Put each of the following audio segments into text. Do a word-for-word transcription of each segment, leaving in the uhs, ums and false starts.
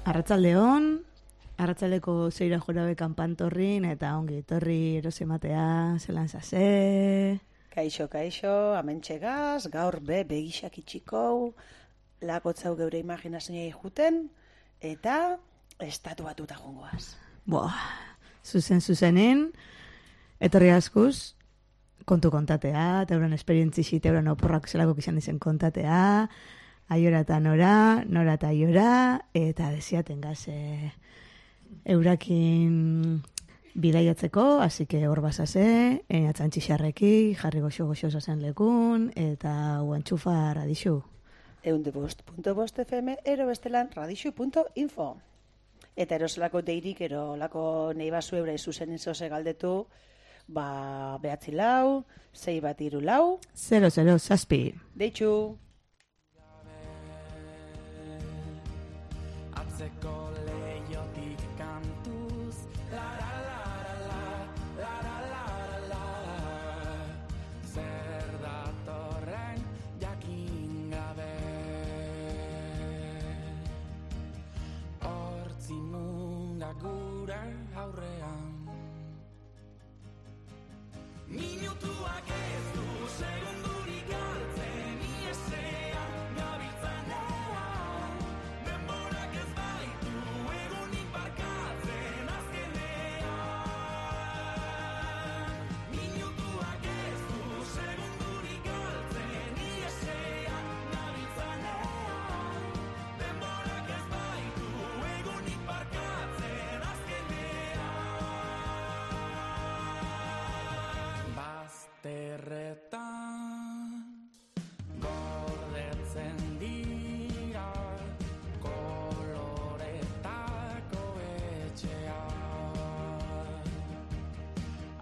Arratsaldeon, arratsaldeko zeira jorabe kanpantorrin eta ongi etorri erosematea, zelan zase. Kaixo, kaixo, amentxegaz, gaur be begisak itxikou, lakotzau geure imaginazioa juten, eta estatu batuta jongoaz. Boa, zuzen zuzenen, etorri askuz, kontu kontatea, teuren esperientzixi, teuren oporrak zelako izan izen kontatea, aiora eta nora, nora eta aiora, eta desiaten gaze eurakin bidaiatzeko, así que hor basase, atzantxixarreki, jarri goxo-goxo zazen lekun, eta uantxufa radixu. Eunde bost punto bost F M, ero bestelan radixu punto info. Eta eroselako deirik, erolako nahi basu eura izuzen izose galdetu, ba, behatzi lau, zei bat iru lau, zero, zero, zazpi. Deitxu. Atzeko leiotik kantuz, la la la la la la la la la, zer datorren jakin gabe. Hortzi munga gure aurrean, minutuak ez du segundurik galtzen iesean gabiltzanean, denborak ez baitu egunik barkatzen azkenean. Minutuak ez du segundurik galtzen iesean gabiltzanean, denborak ez baitu egunik barkatzen azkenean. Bazterretan gordetzen dira koloretako etxeak,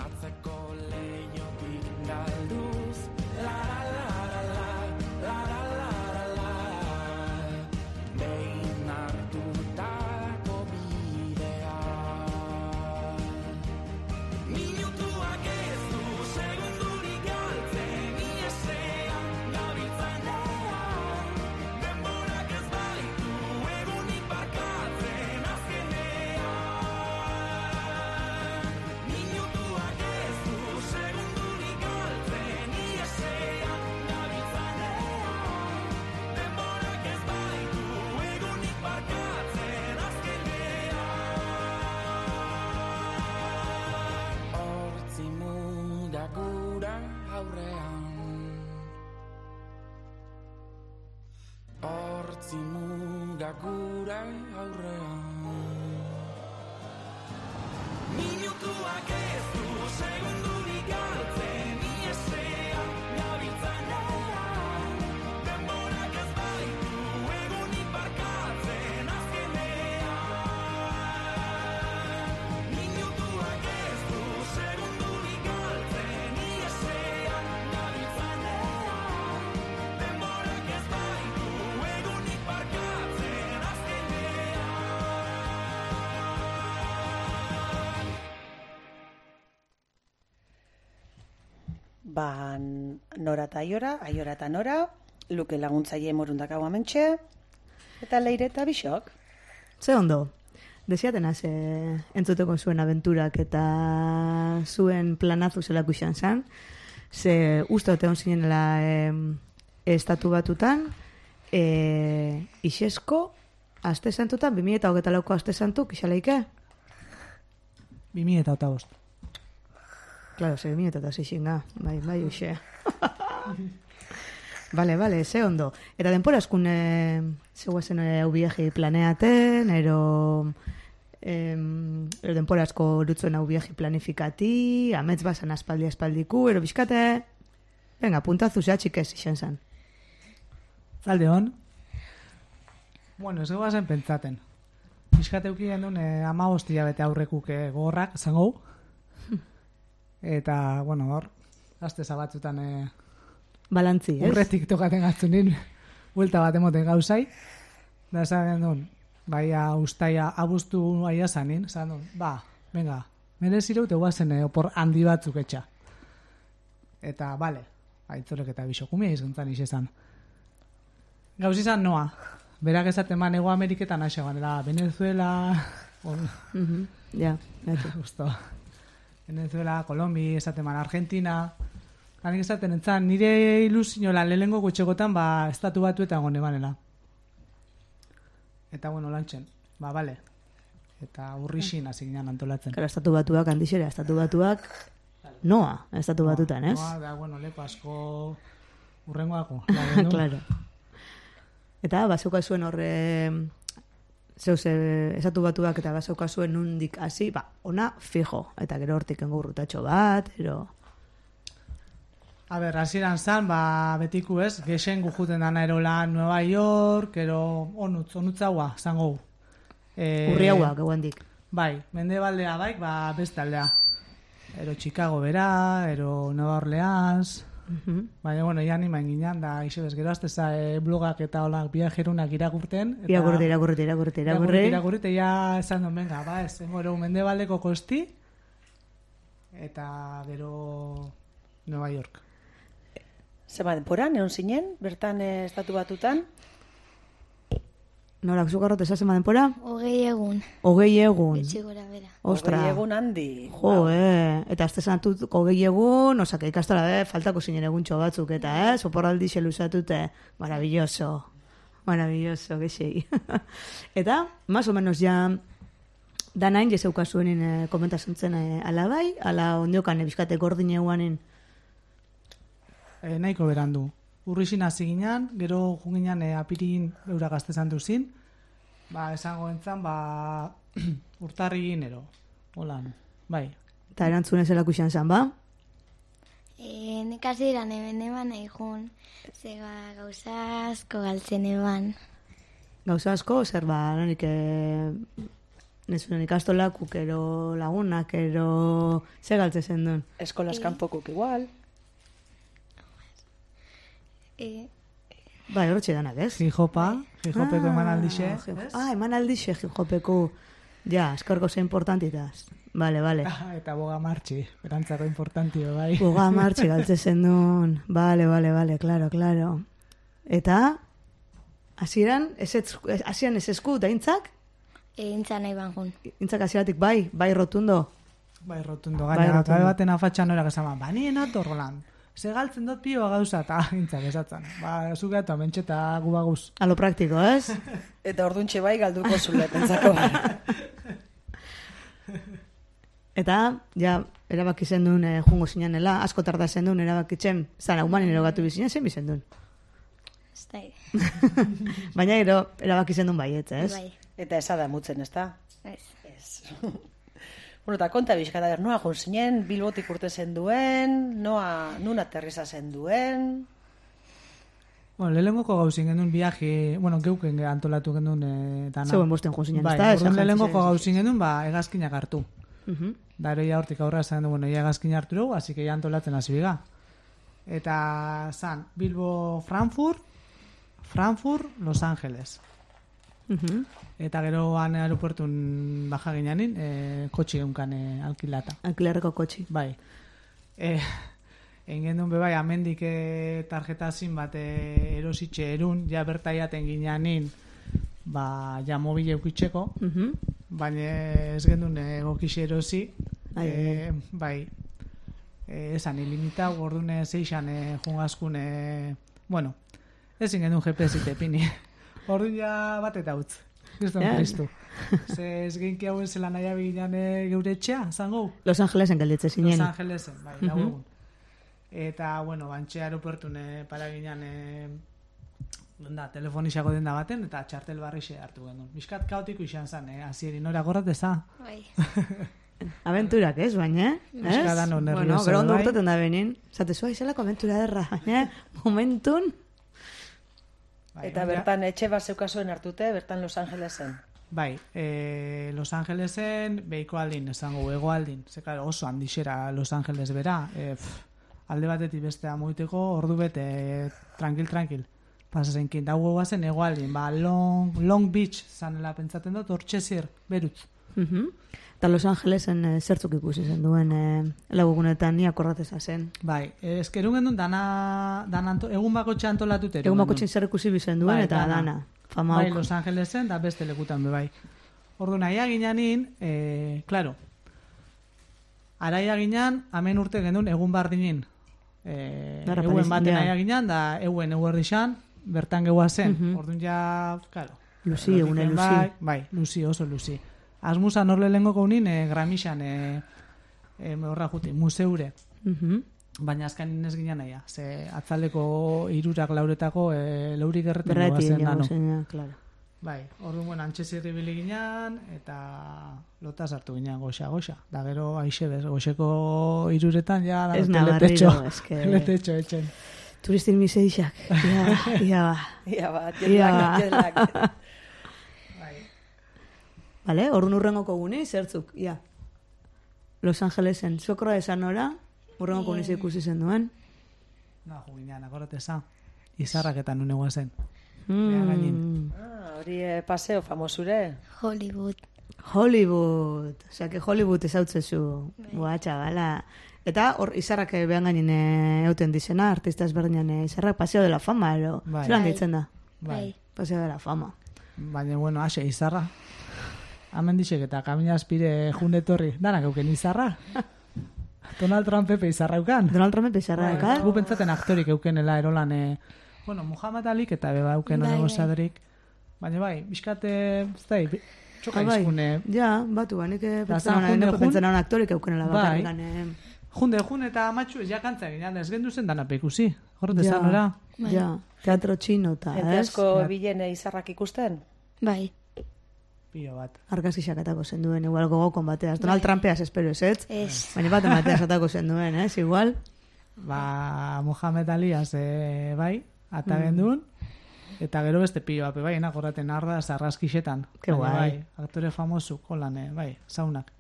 atzeko leiotik galduz, la la la la la la la la la, behin hartutako bidea. Minutuak ez du segundurik galtzen iesean gabiltzanean, denborak ez baitu egunik barkatzen azkenean. Minutuak ez du segundurik galtzen iesean gabiltzanean, denborak ez baitu egunik barkatzen azkenean. Hortzi muga gura aurrean, hortzi muga gura aurrean, minutuak ez du segundurik galtzen iesean gabiltzanean, denborak ez baitu egunik barkatzen azkenean. Minutuak ez du segundurik galtzen iesean gabiltzanean, denborak ez baitu egunik barkatzen azkenean. Ba, nora eta aiora, aiora eta nora, luke laguntzaile morundakau amentxe, eta leire eta bisok. Ze ondo, desiaten haze entzuteko zuen abenturak eta zuen planazu zelako izan zen, ze uste ote hon zinenela eh, estatu batutan, eh, isesko, aste santutan, bi mila eta hogeita lauko aste santuk, isaleike? bi mila eta bost. Claro, ze bi mila eta zixinga, bai, bai, uxe. Vale, vale, ze ondo. Eta denpora eskun eh, zeuazen hau viaje planeaten, ero, eh, ero denpora asko dutzuen hau viaje planifikati, amets basan aspaldi aspaldiku, ero bizkate, venga, puntazu zea txikez izan zen. Zalde hon? Bueno, ez goazen pentsaten. Bizkate eukien duen eh, ama hostia bete aurrekuk eh, gogorrak, zango. Eta, bueno, hor, aste zabatzutan eh, Balantzi, ez? urretik tokaten gatzunin, buelta bat emoten gauzai. Da esan duen, baia ustaia abuztu aia zanin, esan duen, ba, venga, merezireu te guazen eh, opor handi batzuk etxa. Eta, bale, aitzorek eta bisokumia izantzan izan. Gauz izan noa, berak esaten man Ego Ameriketan haxe ganera, Venezuela, on, Mhm. Ja, gatu. justo, Venezuela, Kolombi, esaten man Argentina, hanik esaten entzan, nire ilusiola lehengo gutxegotan, ba, estatu batuetan gone banela. Eta, bueno, lantxen, ba, bale. Eta urrixin hasi ginen antolatzen. Karo, estatu batuak handixera, estatu batuak noa, estatu batutan, ez? Noa, da, bueno, lepo asko urrengoako. Claro. Eta, bazeuka zuen horre, zeus, eh, estatu batuak eta bazeuka zuen nundik hasi, ba, ona fijo. Eta gero hortik engurrutatxo bat, ero... A ber, hasieran zan, ba, betiku ez, gexen gujuten dana erola Nueva York, ero onutz, onutzaua, zango. E, Urri hauak, eguendik. Bai, mendebaldea baik, ba, beste aldea. Ero Chicago bera, ero Nueva Orleans, Mhm. baina, bueno, ja nimain ginen, da, iso bez, gero azteza e, blogak eta olak viajerunak irakurten. eta- Irakurri, irakurri, irakurri, Irakurri, irakurri. irakurri, eta ja esan duen, venga, ba, ez, engoro mendebaldeko kosti, eta gero Nueva York. Zema denporan, egon zinen, bertan eh, estatu batutan, Norak zugarrot esazen denpora? Hogei egun, Hogei egun. etxe gora bera. Ostra. hogei egun handi. Jo, eh. Eta azte zanatut hogei egun, osaka ikastola, eh, faltako zinen eguntxo batzuk, eta, eh, soporraldi xeluzatute. Maravilloso. Maravilloso, gexei. Eta, más o menos ja, danain jezeuka zuenin eh, komentasuntzen eh, ala bai, ala ondiokan ebizkate gordin eguanin. E, nahiko berandu. Urrixin hasi ginen, gero junginan e, apirin eura gaztezan duzin, ba, esango entzan, ba, urtarri ginero. Holan, bai. Eta erantzunez zelako izan zan, ba? E, nik hasi eran hemen eman egun, zega gauza asko galtzen eban. Gauza asko, zer ba, nonik, e, nezunen ikastolakuk, ero lagunak, ero ze galtze zen duen. Eskolas kanpokuk igual. E, Bai, hortxe danak, ez? Hijopa, hijopeko eman aldixe. Ah, ah, eman aldixe, hijopeko. Ja, eskorko ze importantitaz. Vale, vale. Eta boga martxi, berantzako importantio, bai. Boga martxe galtze zen duen. Vale, vale, vale, claro, claro. Eta, hasieran hasieran ez esku, da intzak? e, intza nahi ban jun. Intzak hasieratik bai, bai rotundo. Bai, rotundo, Bai, gaina, rotundo. gabe baten afatxan norak esan, ba, nien atorrolan. Ze galtzen dut pioa gauza, eta intzak esatzen. Ba, zuge eta mentxeta gubaguz. A lo praktiko, ez? Eta orduntxe bai galduko zule, pentsako. Eta, ja, erabaki zen duen eh, jungo zinanela, asko tarda zen duen erabakitzen, zan humanin erogatu bizinen, zen bizen duen. Ez da, Baina gero, erabaki zen duen baietz, ez? bai, Eta esa da mutzen, ez da? ez. Ez. Bueno, eta konta bizkata, ber, noa jun zinen, Bilbotik urte zen duen, noa, nun aterriza zen duen... Bueno, lehenengoko gauzin genuen viaje, bueno, geuken antolatu genuen e, dana. Zeuen bosten jun zinen, Bai, ez da? orduan lehenengoko gauzin genuen, ba, egazkinak hartu. Mhm. Da, ero ja hortik aurra esan du, bueno, ja egazkin hartu dugu, así que ja antolatzen hasi biga. Eta, zan, Bilbo, Frankfurt, Frankfurt, Los Angeles. Mhm. Eta gero han aeropuertun baja gineanin, e, kotxi eunkan e, alkilata. Alkilerreko kotxi. Bai. E, Engen duen bebai, amendik e, tarjetazin bat e, erositxe erun, ja bertaiaten gineanin, ba, ja mobil eukitzeko, Mhm. baina ez gendun egokixe erosi, Ai, e, bai, e, esan ilimitau, ordune zeixan e, jungaskun, e, bueno, ezin gendun G P S itepini. Orduan ja bat eta utz. Kriston Ja. Kristu. Ze ez genki hauen zela nahi abiginan e, geure etxea, zango? Los Angelesen gelditze zinen. Los Angelesen, bai, Mhm. lau egun. Eta, bueno, bantxe aeropuertun e, para ginean, e, da, telefonixako denda baten, eta txartel barrixe hartu genuen. Miskat kaotiko izan zen, eh? Azieri, nora gorrateza. Bai, Aventurak, ez, baina, ez? Euskara dano Bueno, nervioso, gero ondo bai. urteten da benin. Zate, zua izelako aventura derra, baina, momentun, Bai, Eta baina- bertan etxe bat zeukazuen hartute, bertan Los Angelesen. Bai, e, Los Angelesen, behiko aldin, esango, ego aldin. Ze, claro, oso handixera Los Angeles bera. E, pff, alde batetik bestea moiteko, ordu bete, tranquil, tranquil. Pasazenkin, dago guazen ego aldin. Ba, Long, Long Beach zanela pentsaten dut, hortxe zir, berutz. Mhm. Eta Los Angelesen eh, zertzuk ikusi zen duen eh, lagugunetan ni akordateza zen. Bai, eskerun gendun dana, dana anto, egun bako antolatu teru. Egun bako zer ikusi bizen duen Bai, eta dana. dana. Fama bai auk. Los Angelesen, da beste lekutan be bai. Ordu naia ginanin, eh, claro, araia ginan, hemen urte gendun egun bardinin. Eh, Darra euen Paris, baten ja. aia ginan, da euen eguerdixan, bertan geua zen. Mhm. Orduan ja, claro. Luzi, egune luzi. Bai, bai, luzi, oso luzi. Asmusan horle lehenko gaunin, eh, Gramixan, eh, eh, horra juti, museure. Mhm. Baina azkanin ez ginen naia. Ze atzaleko irurak lauretako e, laurik erreten Berrati goazen egin dano. zen, claro. Bai, orduan bueno, antxezirri bili ginen, eta lota sartu ginen goxa, goxa. Da gero aixe bez, goxeko iruretan ja da Ez letetxo. nabarriro, eske... Letetxo etxen. Turistin miseixak. Ia, ia ba. Ia ba, Ia. jetlag, jetlag. Bai. Vale, orrun urrengoko guni, zertzuk, ia. Los Angelesen, zuokroa esan ora, urrengoko guni ikusi zen duen. Na, juginean, akorate za. Izarraketan unegoa zen. Mm. Ah, hori eh, paseo famosure. Hollywood. Hollywood. Osea, que Hollywood ezautzezu. Boa, txabala. Eta hor izarrak eh, behan gainin eh, euten dizena, artista ezberdinan eh, izarrak Paseo de la Fama, ero. Bai. Zelan Bai. ditzen da? Bai. Paseo de la Fama. Baina, bueno, ase, izarra. Hemen dixek eta kamina aspire jundetorri. Danak euken izarra. Donald Trump epe izarra eukan. Donald Trump izarra Bai, ekat? gu pentsaten aktorik eukenela erolan, e, bueno, Muhammad Alik eta beba euken Bai, onego bai. sadrik. Baina bai, bizkate, ez da, txoka Ah, bai. izkune. Ja, batu, ba, nik Da, pentsan zan junde jun- pentsan aktorik eukenela Bai. bakarrikan. Eh. Junde, jun eta amatxu ez jakantza ginean, ez gendu zen dana ikusi. Horret Ja. ezan ora. Ja, teatro txino eta, Ente ez? asko Ja. bilen eh, izarrak ikusten? Bai. Pio bat. Argazki xakatako zen duen, igual gogokon bateaz. Donald Trumpeaz espero ez, ez? Ez. Baina bat emateaz atako zen duen, ez? Igual. Ba, Muhammad Aliaz, e, bai, ata Mm. gendun. Eta gero beste pio bat, bai, nagoraten arda, zarraskixetan. Ke Baina guai. Bai, aktore famosu, holan, eh, bai, saunak.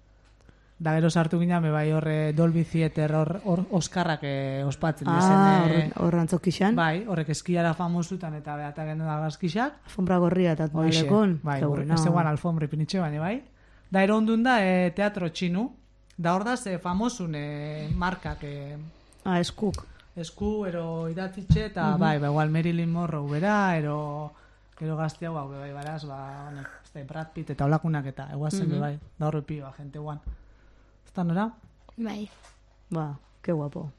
Da gero sartu ginen, be bai, horre Dolby Theater, hor, hor Oskarrak eh, ospatzen. Ah, dezen, eh, hor- hor antzokixan. Bai, horrek eskiara famosutan eta beata gendu da gazkixak. Alfombra gorria eta Hoixe, atmalekon. bai, Ke horrek bueno. ez eguan alfombri pinitxe baina bai. Da ero ondun da e, teatro txinu, da hor da ze famosun e, markak e, Ah, eskuk. esku, ero idatzitxe, eta bai, ba, igual Marilyn Monroe bera, ero, ero gazte hau, hau, bai, baraz, ba, honek, ez da, Brad Pitt eta olakunak eta, eguazen, Mhm. bai, da horre pioa, jente guan. Ez da nora? Bai. Ba, ke guapo.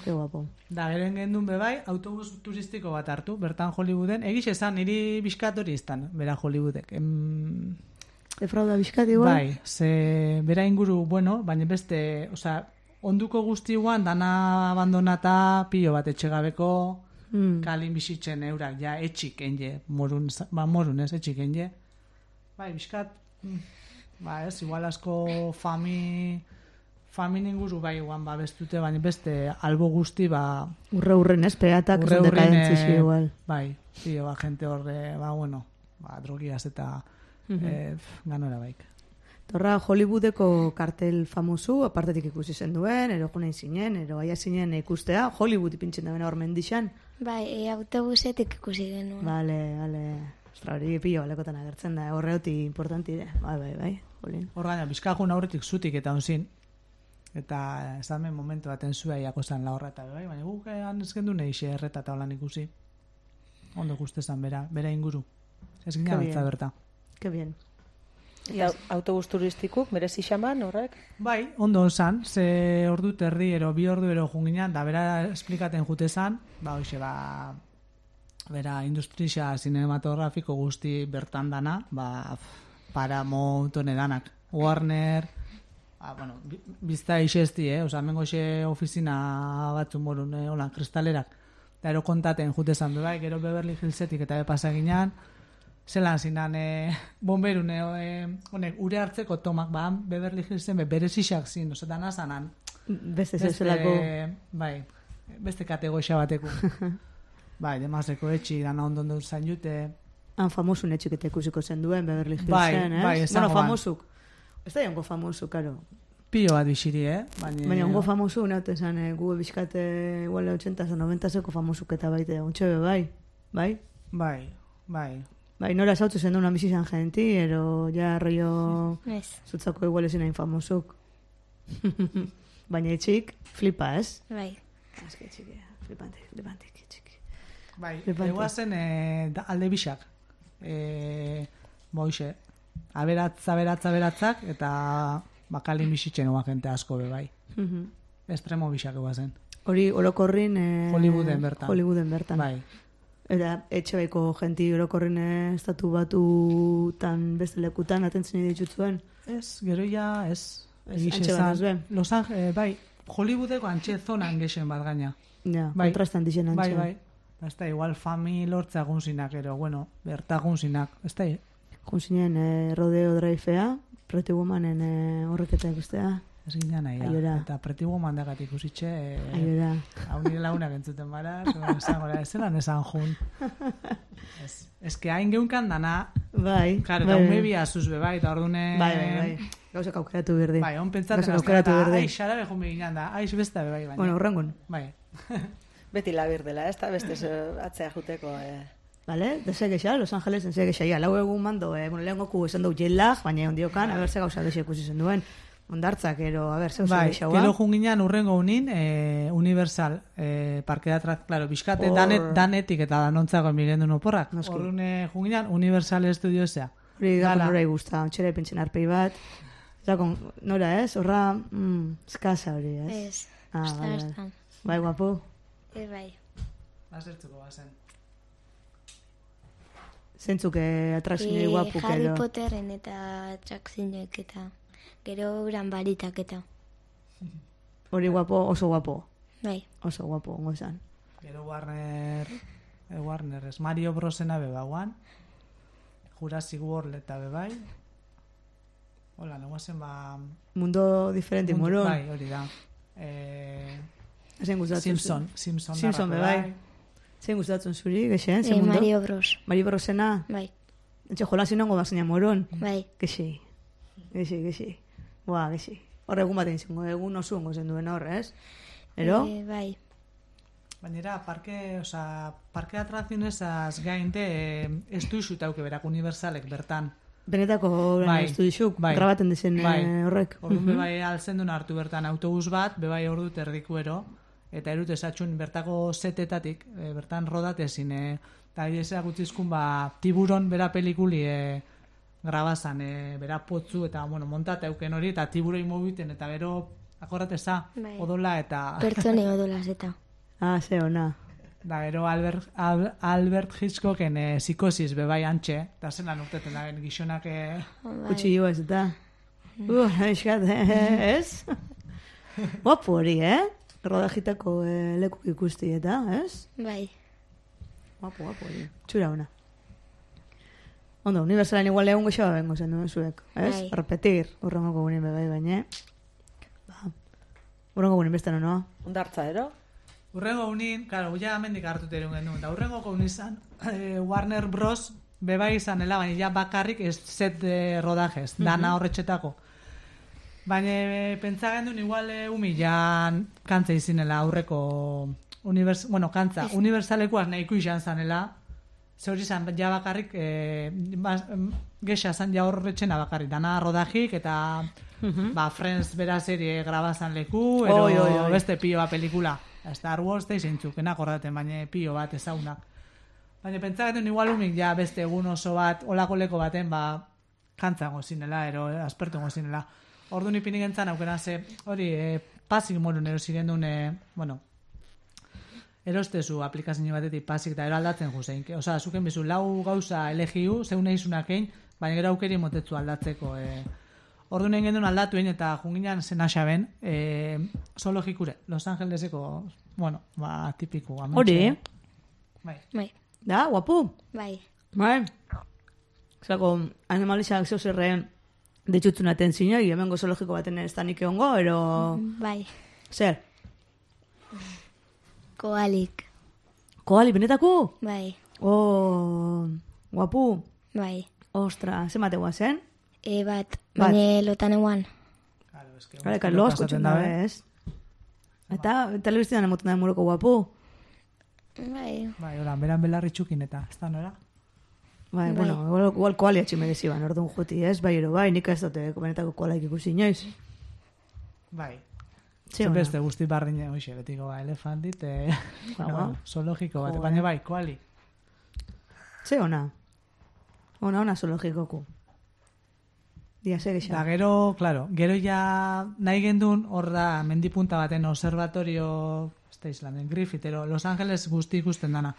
Ke guapo. Da, geren gendun be bai, autobus turistiko bat hartu, bertan Hollywooden, egiz esan, niri bizkatori iztan, bera Hollywoodek. Em, Defrauda bizkat igual? Bai, ze bera inguru, bueno, baina beste, osea, onduko guztiguan dana abandonata pilo bat etxegabeko Mm. kalin bizitzen eurak, ja, etxik enje, morun, ba, morun ez, etxik enje. Bai, bizkat, mm, ba ez, igual asko fami, famin inguru bai guan ba bestute, baina beste albo guzti, ba, Urre urren, ez? Peatak urre esan urrin, dekadentzisi eh, igual. bai, pilo, ba, gente horre, ba, bueno, ba, drogiaz eta Mhm. eh, ganora baik. Torra Hollywoodeko kartel famosu, apartetik ikusi zen duen, ero junain zinen, ero aia zinen ikustea, Hollywood ipintzen da bena hor mendixan. Bai, e, autobusetik ikusi genuen. Bale, bale. Ostra, hori pilo balekotan agertzen da, horreoti importanti de. Bai, bai, bai, jolin. Hor gaina, bizkajun aurretik zutik eta onzin, eta esamen momentu baten zua iakozan la horra eta bai, baina guk egan ez gendu nahi xe erreta eta holan ikusi. Ondo guztezan, bera, bera inguru. Ez Ke gina bien. beltza berta. Que bien. Ia, autobus turistikuk, merezi xaman horrek? Bai, ondo osan, ze ordu terdi ero, bi ordu ero junginan, da bera esplikaten jutezan, ba, hoxe, ba, bera industrisa cinematografiko guzti bertan dana, ba, Paramount hone danak, Warner, ba, bueno, bi- bizta ixesti, eh? Osa, mengo xe ofizina batzu morun, eh, holan, kristalerak, da ero kontaten jutezan, be bai, gero Beverly Hillsetik eta be pasaginan, zelan zinan, e, bomberun, e, honek, ure hartzeko tomak, ba, Beverly Hillsen, be, berezixak zin, oza, dana zanan. Beste Beste, zezelako... bai, beste kategoria bateku. Bai, demazeko etxi, dana ondo ondo zain jute. Han famosun etxiketa ikusiko zen duen, Beverly Hillsen, Bai, ez? bai, esango bueno, ban. famosuk. Ez da jongo famosu, karo. Pilo bat bixiri, eh? Baina, Baina ongo famosu, naute esan, eh, gu bizkate igual ochenta o noventa zeko famosuk eta baite, ontxe be, bai. Bai? Bai, bai. Bai, nora zautzu zen duen bizizan genti, ero ja rollo Ez. zutzako igual ezin hain famosuk. Baina etxik, flipa, ez? Bai. Ez que txiki, flipantik, flipantik, txiki. Bai, Flipante. eguazen e, da, alde bixak. e, boixe, aberatz, aberatz, aberatzak, eta bakalin bizitzen oa jente asko bebai. Mhm. Estremo bisak zen. Hori orokorrin... Eh, Hollywooden bertan. Hollywooden bertan. Bai. Eta etxe baiko jenti orokorrin eh, estatu batutan beste lekutan atentzen ditutzuen. Ez, gero ja, ez. Ez, antxe bat ez ben. Los Angeles, bai, Hollywoodeko antxe zonan gexen bat gaina. Ja, Bai. kontrastan dizen antxe. Bai, bai. Ez da, igual fami lortza gunzinak, ero, bueno, berta gunzinak. Ez da, Junzinen eh, Rodeo Drivea, Pretty Womanen eh, horreketa ikustea. ez ginen nahi, Aiora. eta Pretty Woman dagatik ikusitxe, eh, Aiora. hau nire launak entzuten bara, esan gora, ez zelan esan jun. Ez, ez que hain geunkan dana, Bai. claro, bai, eta bai. ume bi azuz be, bai, eta ordune... Bai, bai, bai. Gauzak aukeratu berdi. Bai, on pentsatzen Gauzak azten, aukeratu eta berdi. aiz, xarabe jun beginan da, aiz beste be, bai, baina. Bueno, urrengun. Bai, Beti labir dela, ez da beste zo- atzea juteko. Eh. Vale, de gexa, Los Angelesen ze gexa. Lau egun mando, eh, bueno, lehen goku esan du jet lag, baina ondiokan, a ber, ze gauza gexa ikusi zen duen. Ondartzak, ero, a ber, ze gauza bai, gexa, gero junginan urrengo unin, eh, Universal, eh, parke atrak, claro, bizkate Hor- danet, danetik eta danontzako mirendu oporrak. Noski. Orduan junginan Universal Studiosea. Hori gako Dala. nora igusta, ontxera ipintzen arpei bat. Zakon, nora ez, horra, mm, eskasa hori, ez? Ez, Ah, usta bai, bai. bastan. Bai, guapo. Ez bai. Azertzuko bazen. Zentzuk eh, atrakzionei Eh, guapuk Harry edo. Potteren eta atrakzioek eta gero uran baritak eta. Hori guapo, oso guapo. Bai, Oso guapo, ongo esan. Gero Warner, eh, Warner, ez Mario Brosena bebauan, Jurassic World eta bebai. Hola, neguazen ba... Mundo diferente, mundu- moron. Bai, hori da. Eh, Zein gustatzen Simpson, Simpson, Simpson darako, bebai. Zein gustatzen zuri, gexen, eh, zein mundo? Mario Bros. Mario Brosena. Bai, Etxe jolasin nongo bazaina moron. bai, Gexi. Gexi, gexi. Boa, gexi. Horre egun batean izango, egun oso ongo zen duen horre, ez? Ero? eh, bai, Bainera, parke, oza, parke atrazionezaz gainte, eh, ez duizu tauke berak universalek bertan. Benetako Bai, estu dixuk, bai. grabaten dizen Bai. eh, horrek. Orduan Mhm. bebai altzen duen hartu bertan autobus bat, bebai ordu terdikuero, eta erut esatxun bertako setetatik, e, bertan rodatezin, e, eta idezea gutzizkun ba, tiburon bera pelikuli e, grabazan, e, bera potzu, eta bueno, montat euken hori, eta tiburoi mobiten, eta gero, akorrateza, Bai. odola, eta pertsone odolaz eta. Ah, ze ona. da gero Albert, Al, Albert Hitchcocken e, psikosis bebai antxe, eta zelan urteten da gizonak e, Bai, Kutsi ez eta. Uh, eskat, eh, ez? Guapo hori, eh? Rodajitako eh, lekuk ikusti eta, ez? bai, Guapo, guapo hori. Txura ona. Ondo, universalan igual egun goxoa bengo zen duen zuek, ez? Bai. Repetir, urrengoko gunin bebai, baina. Ba, urrengo gunin beste noa. Ondartza, ero? Urrengo unin, claro, ja amendik hartut erun genuen, da urrengoko unizan eh, Warner Bros. Beba izanela, baina ja bakarrik ez set de rodajez, dana horretxetako. Baina e, pentsa gendun igual e, humilan kantza izinela aurreko univers, bueno, kantza, universalekuaz nahiko izan zanela, ze hori zan ja bakarrik e, bas, em, gexa zan ja horretxena bakarrik, dana rodajik eta ba, Friends bera serie grabazan leku, ero Oi, oi, oi. beste pioa pelikula. Star Wars da izintzukenak horreten, baina pio bat ezaunak. Baina pentsagaten igual umik ja beste egun oso bat, olako leko baten, ba, kantzango zinela, ero aspertungo zinela. Ordu nipinik entzan aukena ze, hori, e, pasik morun erosiren duen, e, bueno, erostezu aplikazio batetik pasik eta ero aldatzen juzein. Osa, zuken bizu, lau gauza elegiu, zeune izunakein, baina gero aukeri motetzu aldatzeko. E, Ordu nahi gendun aldatuen eta junginan zen asaben, e, zoologikure, Los Angeleseko, bueno, ba, tipiku. Amentxe. Hori, Bai. bai, da, guapu. bai, Bai. Zako, animalizak zeuzerren ditzutzen atentzioa, hemengo zoologiko baten ez da nik egongo, ero... bai, Zer? koalik, Koali, benetako? bai, Oh, guapu. bai, Ostra, ze mategoa zen? e bat, Bat. baina lotan eguan, Claro, es que Gare, kan lo askotzen da, ez? Eta, telebizioan emoten da muroko guapu. bai, Bai, hola, beran belarri txukin eta, ez da nora? Bai, Bai. bueno, igual, igual koali atxe mereziban, orduan juti, ez? Bai, ero, bai, nik ez dute benetako koalaik ikusi inoiz. Bai. Ze Ze ona. beste guzti barrine, hoxe, betiko ba, elefantit, e, Ba, bueno, zoologiko bat, Joder. baina bai, koali. Ze ona. Ona, ona zoologikoku. Dia, zer Da, gisa. gero, claro, gero ja nahi gendun hor da mendipunta baten observatorio, ez da Islanden, Griffithero, Los Angeles guzti ikusten dana.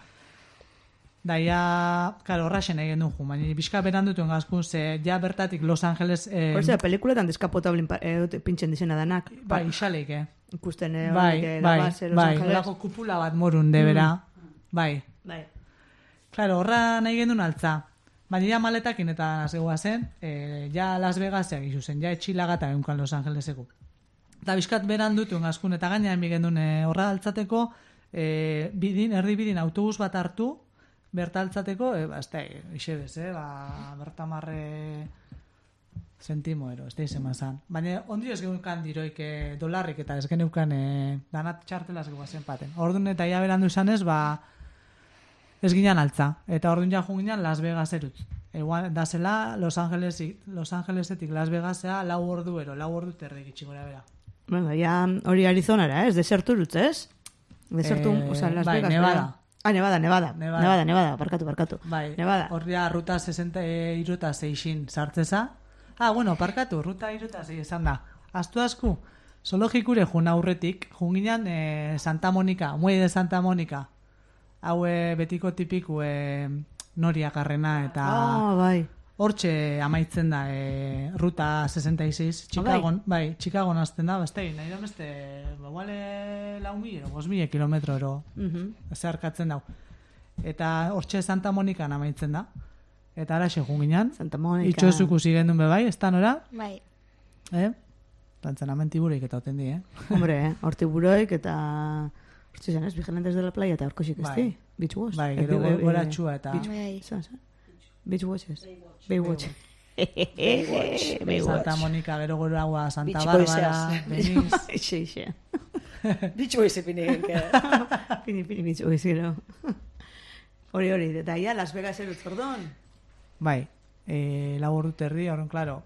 Da, ja, claro, horraxen nahi gendun jun, baina bizka berandutuen gazkun, ze ja bertatik Los Angeles... Eh, Horzea, pelikuletan deskapotable eh, pintzen dizena danak. bai, isaleik, eh? Ikusten, eh, Bai, horik, eh, bai, la base, Los bai, Angeles. horako kupula bat morun debera, bai. Bai. Claro, horra nahi gendun altza. Baina ja maletakin eta zegoa zen, e, ja Las Vegaseak izu zen, ja etxilagata eunkan Los Angeleseko. Eta bizkat beran dutuen gazkun, eta gainean bigendun e, horra altzateko, e, bidin, erdi bidin autobus bat hartu, berta altzateko, e, ba, ez da, isebez, eh, ba, bertamarre zentimo ero, ez da izen mazan. Baina ondi ez geneukan diroik e, dolarrik eta ez geneukan e, danat txartela zegoa zen paten. Orduan eta ja berandu izanez, ba, ez ginen altza. Eta orduan ja ginen Las Vegas erut. Egual, da zela Los Angelesik, Los Angelesetik Las Vegasea lau ordu ero, lau ordu terdik itxigora bera. Bueno, ja hori Arizonara, ez? Desertu urutz, ez? Desertu, Eh, oza, Las bai, Vegas. Nevada. bera. Ah, Nevada, Nevada. Nevada. Nevada, Nevada, barkatu, barkatu. Bai, Nevada. hor ja ruta sesenta iruta seixin sartzeza. Ah, bueno, parkatu, ruta iruta sei esan da. Astu asku, zoologikure jun aurretik, jun ginen eh, Santa Monica, muelle de Santa Monica. Hau eh, betiko tipiku eh, noriakarrena eta Ah, bai. hortxe amaitzen da e, ruta sesenta y seis, Chicagon, bai, Chicagon azten da, beste, nahi da beste, baguale lau mil, bos mil kilometro ero, Mhm. zeharkatzen dau. Eta hortxe Santa Monikan amaitzen da. Eta araxe junginan, Santa Monica. itxozuku zigendun bebai, ez da nora, Bai. eh? Tantzanamenti bureik eta oten di, eh? Hombre, eh? Horti buroik eta... Hortzi zen, ez? Vigilantes de la playa eta horkoxik ez Bai. di? Beach Watch. Bai, Eh, gero eh, eh, gora txua eta... Beach Bai. Zan, zan? Beach Watches. Baywatch. Baywatch. Baywatch. Santa Monica, gero gero agua, Santa Beach Bárbara, Boyses. Beniz... Eixe, eixe. Bitxo izepine genke. Pini, pini, Beach Watch, gero. Hori, hori, eta ia Las Vegas erutz ordon. Bai, e, lau ordu terdi, horren, klaro,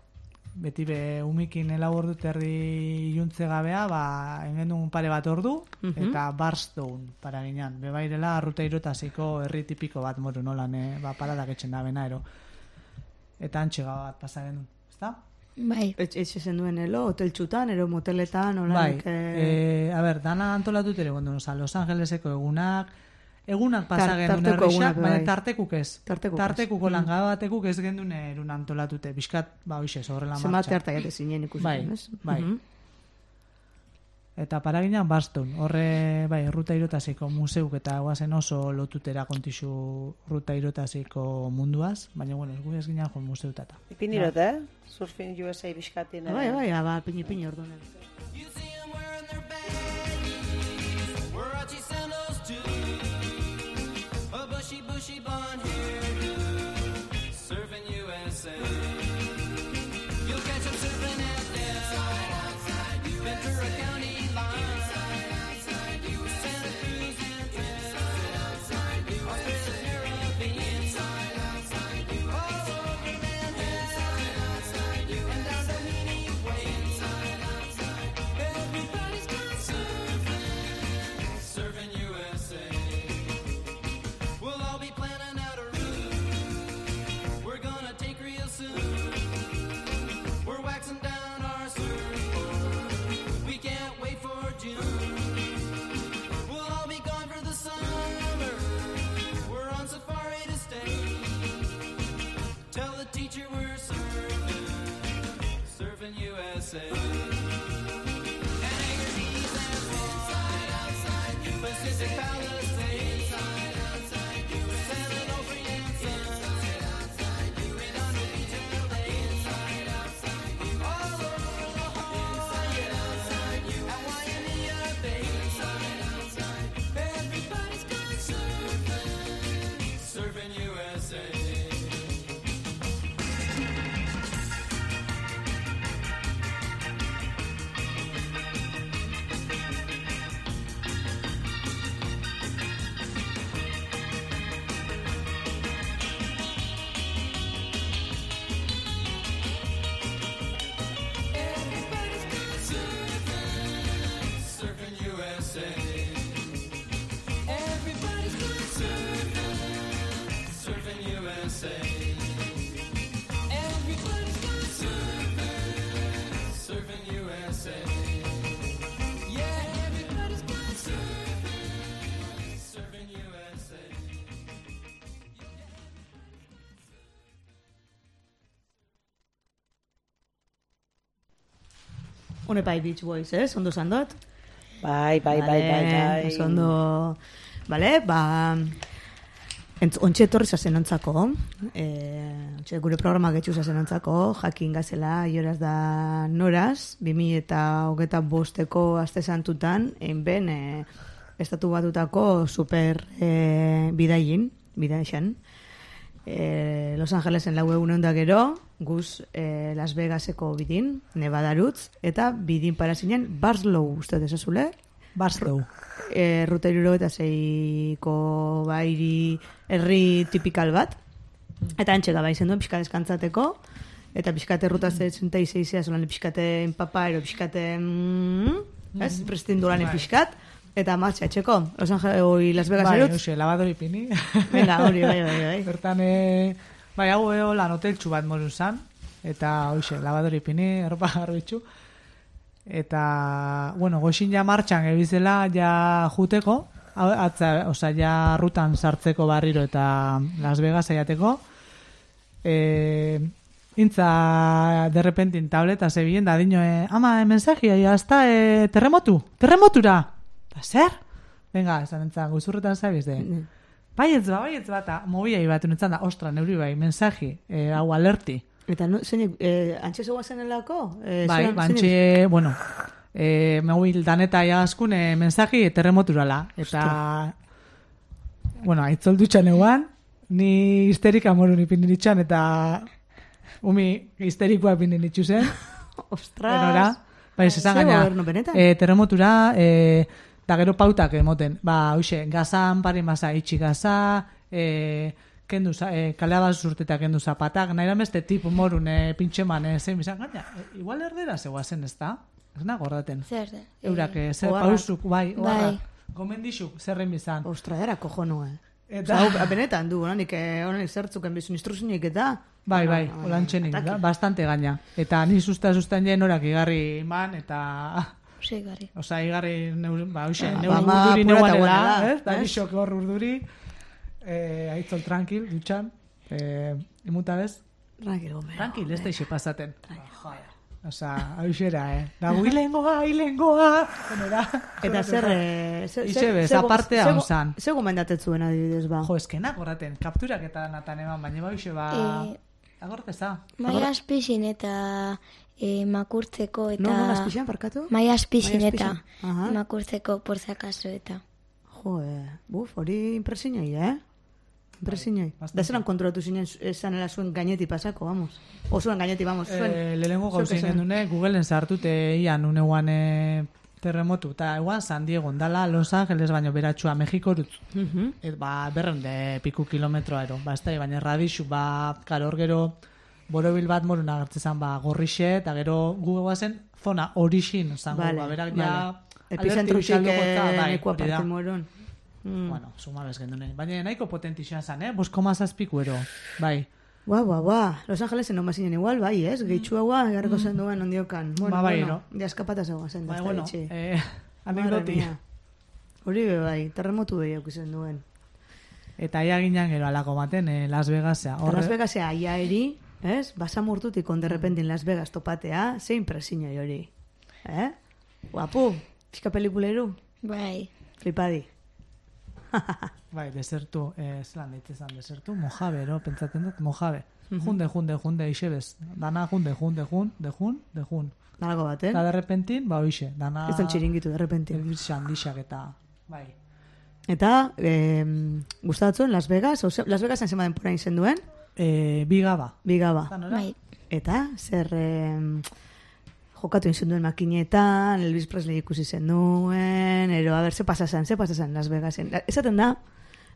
beti be umikin lau ordu terdi iluntze gabea, ba, engendun pare bat ordu, Mhm. eta Barstow para ginean. Bebairela, ruta irotasiko herri tipiko bat moru nolan, eh, ba, paradak etxen da benaro. Eta antxega bat pasa genuen, ezta? Bai. Etxe zen duen elo, hotel txutan, ero moteletan, Bai, olanik... Eh... e, a ber, dana antolatut ere gondun, oza, Los Angeleseko egunak, egunak pasa Tar- genuen tarteko herrixak, egunak, baina bai. tartekuk ez. Tartekuk ez. Tartekuko langaba batekuk ez gendun erun antolatute, bizkat, ba, hoxe, horrela Zenbat martxa. harta jate zinen ikusten, Bai, ez? bai. Mhm. Eta paraginan Baston, horre, bai, ruta irotasiko museuk eta guazen oso lotutera kontixu ruta irotasiko munduaz, baina, bueno, ez gu ez ginen joan museutata. Ipinirot, eh? Surfing U S A bizkatin. Bai, bai, ba, pini, pini ordunen. You see 'em wearing their baggies, Warachi sandals too, a bushy, bushy blonde hairdo, surfing U S A. You'll catch 'em surfing at Del, Ventura County line, Santa Cruz and Ted, Australia, Caribbean, all over Manhattan, and down to Meany Way. Everybody's gone surfing, surfing U S A. We'll all be planning out a route we're gonna take real soon. We're waxing down our surfboard, we can't wait for June. We'll all be gone for the summer, we're on safari to stay. Tell the teacher we're surfing, surfing U S A. Pacific Palisades, San Onofre and Sun, Redondo Beach and Lake, all over La Jolla, at Waimea Bay. Everybody's gone surfing, surfing U S A. Hone pai Beach Boys, ez? Ondo zandot? Bai, bai, bai, bai, bai. Oso ondo... Bale, ba... Entz, ontxe etorri zazen ontzako, e, ontxe gure programa getxu zazen ontzako, jakin gazela, ioraz da noraz, bimi eta hogeta bosteko aste santutan, einben e, estatu batutako super e, bidaien, bidaixan, e, Los Angelesen lau egun da gero, guz e, Las Vegaseko bidin, Nevadarutz, eta bidin parazinen Barslow, uste desazule? Barslow. E, ruta iruro eta zeiko bairi herri tipikal bat. Eta antxega bai zen duen pixka deskantzateko. Eta pixkate ruta sesenta y seis zolan pixkate enpapa, ero pixkate... Mm, ez? Prestindulan pixkat. Eta martxa etxeko. Los Angeles, oi Las Vegas bai, erutz. Bai, hoxe, lavadori pini. Venga, hori, bai, bai, bai. Bertan, e, bai, hau eo lan hoteltxu bat moru zan. Eta, hoxe, lavadori pini, erropa garbitxu. Eta, bueno, goxin ja martxan ebizela ja juteko, atza, oza, ja rutan sartzeko barriro eta Las Vegas aiateko. E, intza, de repentin tableta zebilen, da dino, e, ama, e, mensajia, ya está, e, terremotu, terremotura. Da, zer? Venga, esan entzan, guzurretan zabiz de. Mm. Baietz ba, baietz ba, eta mobiai bat unetzan da, ostra, neuri bai, mensaji, e, hau alerti. Eta no, zeinik, eh, antxe zegoa zenelako? Eh, bai, zelan, bantxe, zeinik? bueno, eh, mobil daneta jagazkun eh, mensaji terremoturala. Eta, Ostra. Bueno, aitzol dutxan eguan, ni histerika morun ipindin itxan, eta umi histerikoa ipindin itxu zen. Ostras! Enora, bai, zesan gaina, eh, terremotura, eh, da gero pautak emoten. Ba, hoxe, gazan parin basa itxi gaza, eh, kendu, eh, kalea bat zurteta kendu zapatak, nahi da beste tipu morun eh, pintxeman, eh, zein bizan, gaina, eh, igual erdera zegoa zen, ez da? Ez nago gordaten. Zer, zer. Eurak, eh, zer oharrak. pausuk, bai, oharrak. Bai. Gomendixuk, zerren bizan. Ostra, era kojonua. Eta, Osa, hau, benetan du, honik honik zertzuken bizun instruzinik eta... bai, bai, olantxenik, da, bastante gaina. Eta ni susta sustan jen orak igarri iman, eta... Ose, igarri. Osa, igarri, neur, ba, hoxe, Ah, neur ba, ma, urduri apurata neuanela, guanela, ez? Da, ez? nixok hor urduri, eh, aitzol tranquil, dutxan, eh, imuta bez? Tranquil, gomero. Tranquil, ez da ixe pasaten. Osa, hau xera, eh? Da, hilengoa, hilengoa! Benera. Eta zer... eh, zer- Ixe zer- bez, zer- apartea zer- onzan. Zer gomendatet zuen adibidez, ba? Jo, eskenak horreten, kapturak eta natan eman, baina ba, ixe, ba... Eh, Agorteza. Mai aspizin eta e, makurtzeko eta... No, no, azpixan, parkatu? Mai aspizin Mai eta azpixan. Aha. makurtzeko por si acaso eta... Jo, eh, buf, hori impresinoi, eh? Impresinoi. bastante. Da zelan kontrolatu zinen esanela zuen gaineti pasako, vamos. O zuen gaineti, vamos, zuen. Eh, lehenengo zuek gauzien esan. gendune, Googleen sartute ian uneguan eh, terremotu, eta eguan San Diego, dala Los Angeles baino beratxua, Mexiko rutz. Mhm. Et, ba, berren de piku kilometroa ero. Ba, ez da, baina radixu, ba, karor gero borobil bat morun agertzezan, ba, gorrixe, eta gero gugoa zen zona orixin, zango, Vale, ba, berak vale. ja... Epizentrutik bai, neko hori da. aparte moron. Mm. Bueno, suma bez gendune. Baina nahiko potentixan zan, eh? Bosko mazazpiku ero, bai. Ba, ba, ba. Los Angelesen non bazinen igual, bai, ez? Gehitxua gua, garriko zen duen ondiokan. Bueno, Ba, bai, bueno, no? ja eskapata zegoa zen, Bai, da, bueno, itxi. eh, Madre anekdoti. mia. Hori be, bai, terremotu behi aukizen duen. Eta ia ginean gero alako baten, eh, Las Vegasea. Eta Las Vegasea aia eri, ez? Basamurtutik on derrepentin Las Vegas topatea, zein presinoi hori. Eh? Guapu, pixka pelikuleru, Bai. flipadi. Bai, desertu, eh, zelan ditzezan, desertu, Mojave, ero, pentsatzen dut, Mojave. Junde, junde, junde, ixe bez. Dana, junde, junde, jun, de jun, de jun. Nalako baten. Eta derrepentin, ba, oixe, dana... Ez den txiringitu, derrepentin. Elbizan, dixak eta... Bai. Eta, eh, gustatzen Las Vegas, ose, Las Vegasen zema denpora izen duen, Eh, bigaba. bigaba. Eta nora? Bai. Eta, zer eh, jokatu izen duen makinetan, Elvis Presley ikusi zen duen, ero, a ber, ze pasasan, ze pasasan Las Vegasen. La- Esaten da,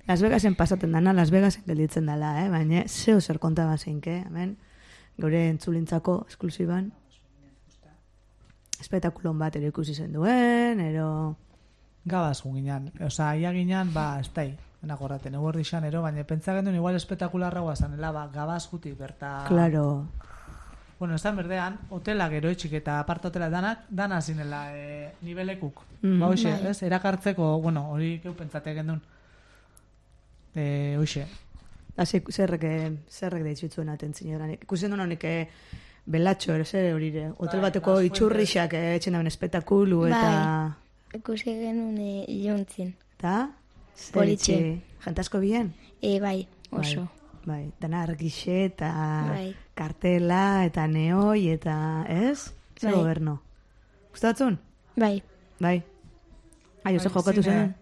Las Vegasen pasaten dana, Las Vegasen gelditzen dela, eh? Baina, zeo zer konta bazeinke, hemen, gure entzulintzako esklusiban, espetakulon bat ere ikusi zen duen, ero... Gabaz ginean. Osa, ia ginean, ba, ez tai. Enagorraten, eguerdi xan, ero, baina pentsatzen duen igual espetakularra guazanela, ba, gabaz jutik berta... Claro. Bueno, esan berdean, hotela gero etxik eta aparte hotela danak, dana zinela e, nibelekuk. Mhm. Ba, hoxe, Bai. ez? Erakartzeko, bueno, hori keu pentsate gendun. E, hoxe. Hasi zerrek zerrek deitzutzen atentzio orain. Ikusten duen honek eh, belatxo, ere zer horire. Hotel Bai, bateko Las itxurrixak eh, etxen daben espektakulu eta... Bai. Ikusi genuen e, iluntzin. Eta? Politxe. Jente asko bien? E, bai, oso. Bai, bai. Dana argixe eta Bai. kartela eta neoi eta, ez? Zer Bai. goberno. Gustatzen? Bai, Bai. Ai, ose jokatu zen.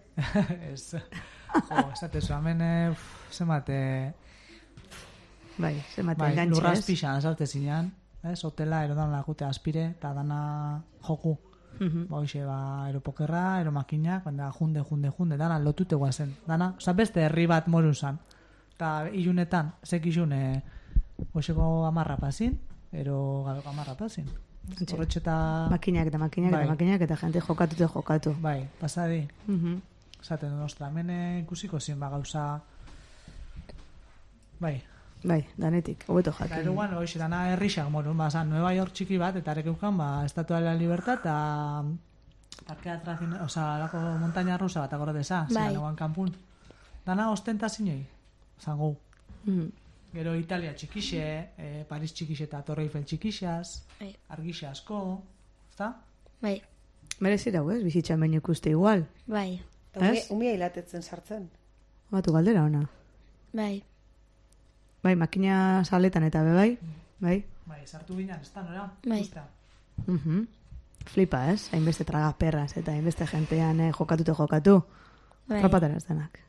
Ez. Jo, esate zu, hemen, eh, uf, zenbat, eh, Bai, zenbat bai, engantxe, lurraz ez? pixan, esarte zinean, ez, hotela, erodan lakute aspire, eta dana joku. Mhm. Ba, hoxe, ba, eropokerra, eromakinak, baina junde, junde, junde, dana lotute guazen. Dana, oza, beste herri bat morun zan. Eta ilunetan, zekizun, e, hoxeko amarra pasin, ero gabeko amarra pasin. Horretxeta, Makinak eta makinak Bai. eta makinak eta jente jokatu eta jokatu. bai, pasadi. Mhm. Esaten du, ostra, hemen eh, ikusiko zien, ba, gauza... Bai, Bai, danetik, hobeto eta jakin. eruan, hoxe, dana herrixak morun, ba, zan, Nueva York txiki bat, eta arekeukan, ba, Estatua de la Libertad, eta parke atracción, oza, lako montaña rusa bat agordeza, Bai. zelan eguan kanpun. Dana ostentazinoi, zango. Mhm. Gero Italia txikixe, eh, Paris txikixe eta Torre Eiffel txikixaz, bai, argixe asko, ezta? bai, Merezira, ez? Bizitzan baino ikuste igual. bai, Eta umia, Ez? umia hilatetzen sartzen. Batu galdera ona. bai, Bai, makina saletan eta be bai. Bai. Bai, sartu ginen, ez da, nora? Bai. Usta. Mhm. Flipa, ez? Hainbeste tragaperras eta hainbeste jentean eh, jokatu eta jokatu. bai, Rapatara ez denak.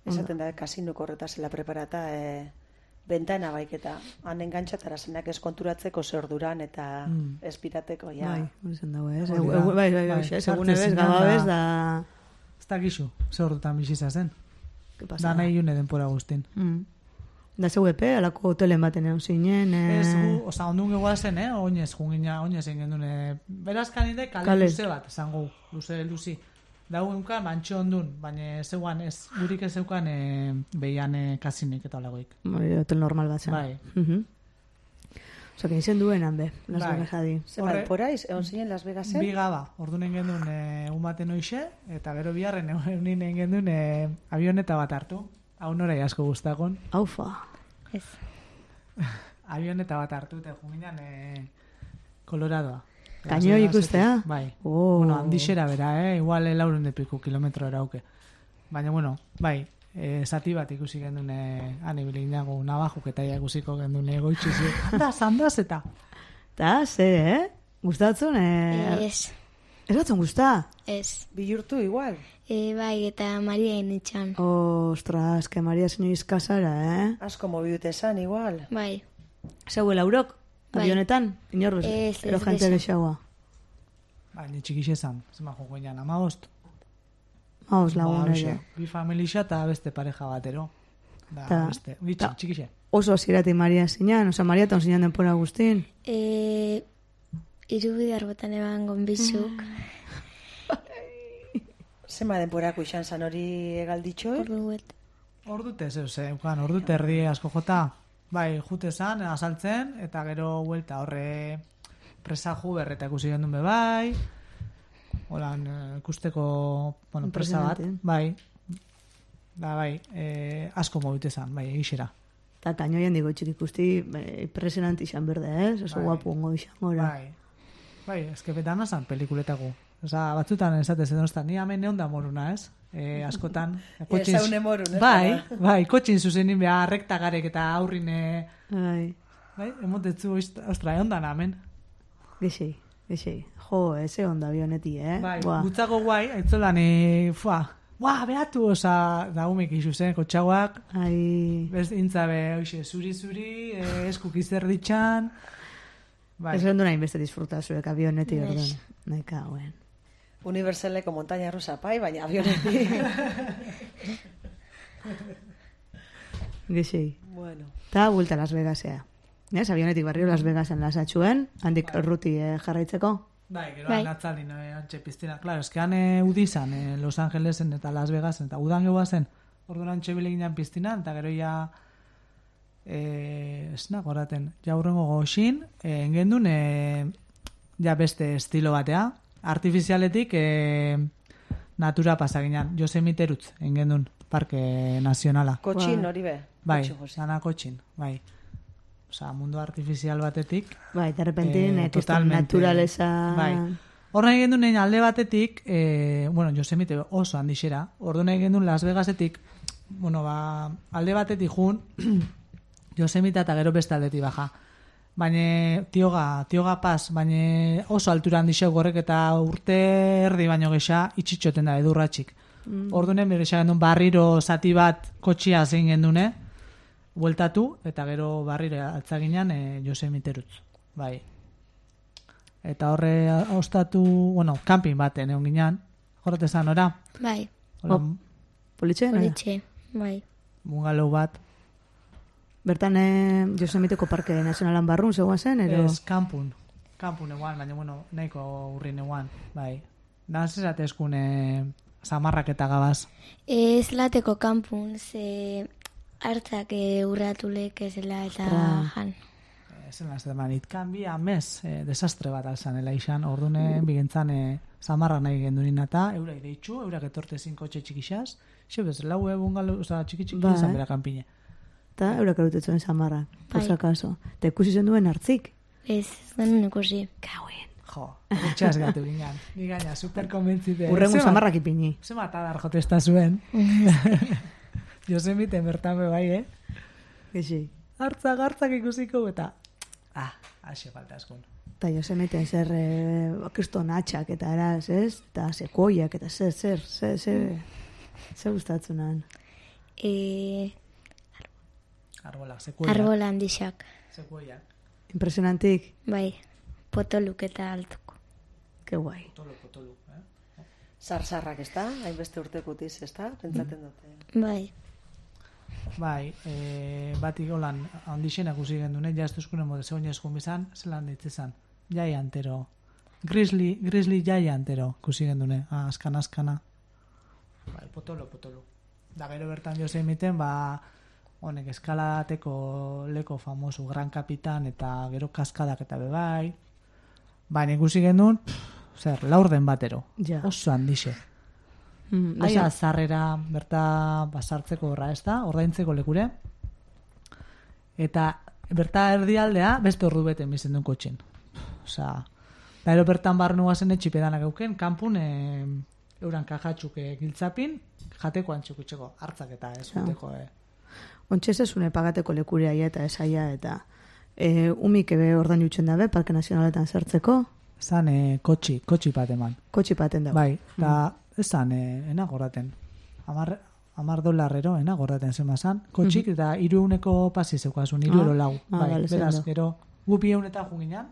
Esaten da, kasinuko horreta zela preparata, e, bentana baiketa. Han engantxatara zenak eskonturatzeko zer duran eta Mm. espirateko, ja. Bai, hori zen dago, ez? Hori Egu- da. egu- Bai, bai, bai, Bai, ez? sartzen Egune bez, zinan gaba da- bez, da... Ez da gizu, ze ordutan bizitza zen. ¿Qué pasa? Dana ilune denpora guztin. Mm. Da zeu epe, alako hotelen baten egon zinen... Eh... Ez gu, oza, ondun gegoa zen, eh? Oinez, jungina, oinez egin duen, eh? Berazkan ide, kale, Kale. luze bat, zango, luze, luzi. Dau eunkan, bantxo ondun, baina zeuan, ez, gurik ez zeukan, eh, behian eh, kasinik eta olagoik. Bai, hotel normal bat zen. Bai. Mhm. Osa, que izen duen hanbe, Las Bai. Vegas adi. Zenbat, Horre- poraiz, egon zinen Las Vegasen? Bi gaba, orduan genuen e, egun baten hoxe, eta gero biharren egun genuen e, avioneta bat hartu. Hau norai asko guztakon. Aufa. ez, Avioneta bat hartu, eta junginan e, Koloradoa. Kainoi Las Vegasetik. ikustea? Bai. Oh. Bueno, handixera bera, eh? Igual e, laurun de piku kilometro erauke. Baina, bueno, bai, e, zati bat ikusi genuen e, anibili nago nabajuk eta ia ikusiko genuen egoitxizi. Andaz, andaz eta. Ta, ze, eh? Gustatzen, eh? ez, Ez batzen gusta? ez, Bihurtu igual. e, bai, eta Maria initxan, Ostras, que Maria Senoiz kasara, eh? Asko mobiute esan igual. bai, Zeu laurok? Bai. Avionetan? Inorrez, Ez, ez ero jente gexo. gexaua. Bai, ni txikixe zan, zema joko ginen, amabost. Maus lagun Ba, edo. hoxe, bi familia eta beste pareja batero. Da, Ta- beste, bitxi, ta- txikixe. Oso zirati Maria zinan, oza, Maria eta zinan denpora guztin. e, irubidar botan eban gonbizuk, Zema denporako izan zan hori egalditxoi? ordu bet, Ordute, zeu, ze, ukan, ordute erdi asko jota. Bai, jute zan, azaltzen, eta gero huelta horre presa ju berreta ikusi gendun be bai. Holan, eh, ikusteko, bueno, presa bat. Impresionante. Bai, da, bai, eh, asko mobite zan, bai, egixera. Eta kainoian digo txik ikusti, bai, impresionante izan berde, ez? Oso Bai. guapo ongo izan gora. Bai, bai, eske betana zan pelikuletako. Osa, batzutan esatez edo ni hemen neon da moruna, ez? E, askotan. kotxin- zaune morun, ez? Bai, Bada. bai, kotxin zuzenin beha rektagarek eta aurrin, e, Bai, bai, emotetzu, ostra, egon da namen. gexei, gexei. Jo, eze onda avioneti, eh? Bai, Buah. gutzako guai, aitzolan, e, fua, buah, behatu, osa, da humek isu zen, kotxaguak, Ai, bez intzabe, oixe, zuri-zuri, e, eskuk izerditxan, bai, ez gendu nahi beste disfrutazuek avioneti Ez. orduan. Naika, guen. Universaleko montaña rusa pai, baina avionetik. Gexei. Bueno. Ta, vuelta a Las Vegasea. Ez, avionetik barrio Las Vegasen lasatxuen, handik ruti eh, jarraitzeko. bai, gero Bai. natzaldin, e, antxe piztina, claro, eskean e, udizan, e, Los Angelesen eta Las Vegasen, eta udan gegoa zen, orduan antxe bileginan piztinan, eta gero ja, e, esnak horaten, ja hurrengo goxin, e, engendun, e, ja beste estilo batea, artifizialetik e, natura pasaginan, Josemiterutz, engendun, parke nazionala. Kotxin Bai. hori be. Bai, Kotxin, Jose. dana kotxin, bai. Osa, mundu artifizial batetik. Bai, de repentin, Eh, eh, kriston totalmente. naturaleza... Bai. Horren egin duen alde batetik, eh, bueno, Yosemite oso handixera, orduan egin duen Las Vegasetik, bueno, ba, alde batetik jun, Yosemite eta gero beste aldetik baja. Baina tioga, tioga pas, baina oso altura handixeu gorrek eta urte erdi baino gexa itxitxoten da edurratxik. Mm. Orduan berisa gendun barriro zati bat kotxia zein gendune, bueltatu, eta gero barriro altzaginan e, Yosemiterutz. Bai. Eta horre ostatu, bueno, camping baten egon ginean, jorretezan, ora? Bai, Hola, Oh. Politxe? nola? politxe, bai. bungalow bat. Bertan eh, Yosemiteko Parke Nazionalan barrun zegoen zen, ero... Ez, kampun. Kampun eguan, baina, bueno, nahiko urrin eguan, bai. Naz esatezkun e, zamarrak eta gabaz. Ez lateko kanpun, ze hartzak e, urratulek ezela eta Ostra. jan. Esen las deman, itkan bi amez, e, desastre bat alzan, ela izan, ordune bigentzan e, zamarra nahi gendunin eta, eura ireitxu, eurak etortezin kotxe txikixaz, xe bez, lau bungalow, oza, txiki txiki, Bai. izan bera kanpine. Eta eurak erutetzen zamarra, por Bai. si acaso. Eta ikusi zen duen hartzik. Ez, ez genuen ikusi. Kauen. Jo, etxeaz gatu ginen. Ni gaina, super konbentzite. Urrengo Zema- zamarrak ipini. Zema atadar jotesta zuen. Yosemite bertan be bai, eh? Gexi. Hartzak, hartzak ikusiko eta... Ah, haxe falta askun. Eta Yosemiten zer eh, kriston atxak eta eraz, ez? Eta sekoiak eta zer, zer, zer, zer, zer gustatzunan. E, Arbolak, sekuiak. arbola handixak, Sekuiak. Impresionantik, bai. Potoluk eta altuko. que guai. Potolo, potolo, eh? Zarzarrak, ez da? Hainbeste urtekutiz, ez da? Pentsaten dute. Bai, Bai, e, batik holan handixenak usi gendune, ja ez duzkunen mode zegoen eskun bizan, zelan ditzezan. Jai antero. Grizzly, grizzly jai antero kusi gendune, ah, askana, askana. Bai, potolo, potolo. Da gero bertan Yosemiten, ba, honek eskalateko leko famoso, Gran Kapitan, eta gero kaskadak eta bebai. Baina ikusi gendun, pff, zer, laurden batero. Ja. Oso handixe. Mm, Aia oso- zarrera berta basartzeko horra, ez da? Ordaintzeko lekure. Eta berta erdialdea beste ordu bete bizen duen kotxin. Osea, da ero bertan barnu gazen etxipedanak euken, kanpun e, euran kajatxuk e, giltzapin, jateko antxukutxeko, hartzak eta ez Ja. juteko. E. Ontxe zezune pagateko lekurea eta esaia eta e, umik ebe ordain jutzen dabe, Parke Nazionaletan sartzeko, Zan e, kotxi, kotxi bat eman. kotxi paten dago. Bai, eta ez zan e, enagorraten. Amar, amar dolarrero enagorraten zema zan. Kotxik eta iruuneko pasi zeukasun, iru Ah, euro lau. ah, bai, bale, beraz, zendo. gero, gupi eunetan juginan,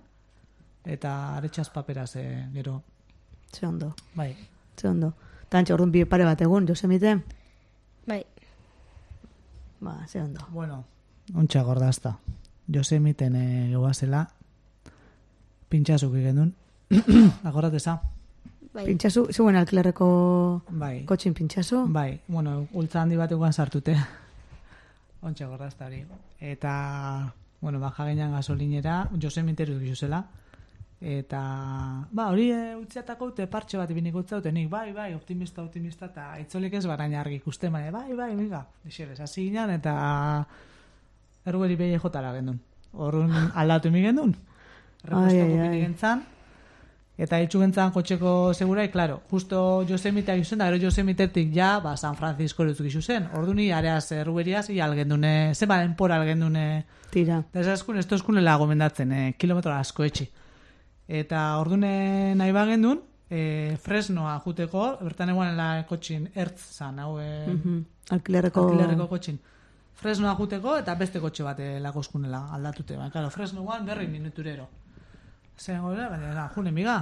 eta aretxaz paperaz, e, gero, Ze ondo, bai. ze ondo. Tantxe, orduan bi pare bat egun, Yosemite, bai. ba, ze ondo. Bueno, ontsa gordazta. Yosemiten e, gehuazela, pintxazuk genuen, agorrateza. Bai, Pintxazu, zeuen alkilerreko Bai. kotxin pintxazu? Bai, bueno, ultza handi bat eguan sartute. Ontsa gordazta hori. Eta, bueno, baja gainan gasolinera, Yosemiteru gizuzela. Eta, ba, hori e, utziatako ute partxe bat ibinik utzaute, nik, bai, bai, optimista, optimista, eta itzolik ez baraina argi ikusten, bai, bai, bai, miga, dixeres, hasi ginen, eta ergueri behi jotara gendun. Horren aldatu mi gendun. Ai, Repostoko ai, ai. pini gentzan, eta itxu gentzan kotxeko segurai, claro, justo Yosemite gizuzen, da gero Yosemitetik ja, ba, San Francisco lutzu gizuzen. Orduni, areaz, erruberiaz, i algendune, zeba denpora algendune, Tira. eta ez askun, ez tozkunela gomendatzen, eh, kilometro asko etxi. Eta ordune nahi bagendun, e, Fresnoa juteko, bertan eguanela kotxin ertz zan, hau e, Mhm. Alkilerreko... alkilerreko kotxin. Fresnoa juteko eta beste kotxe bat eh, lakoskunela aldatute. Baina, claro, Fresnoan berri minuturero. Zer gore, baina, june miga.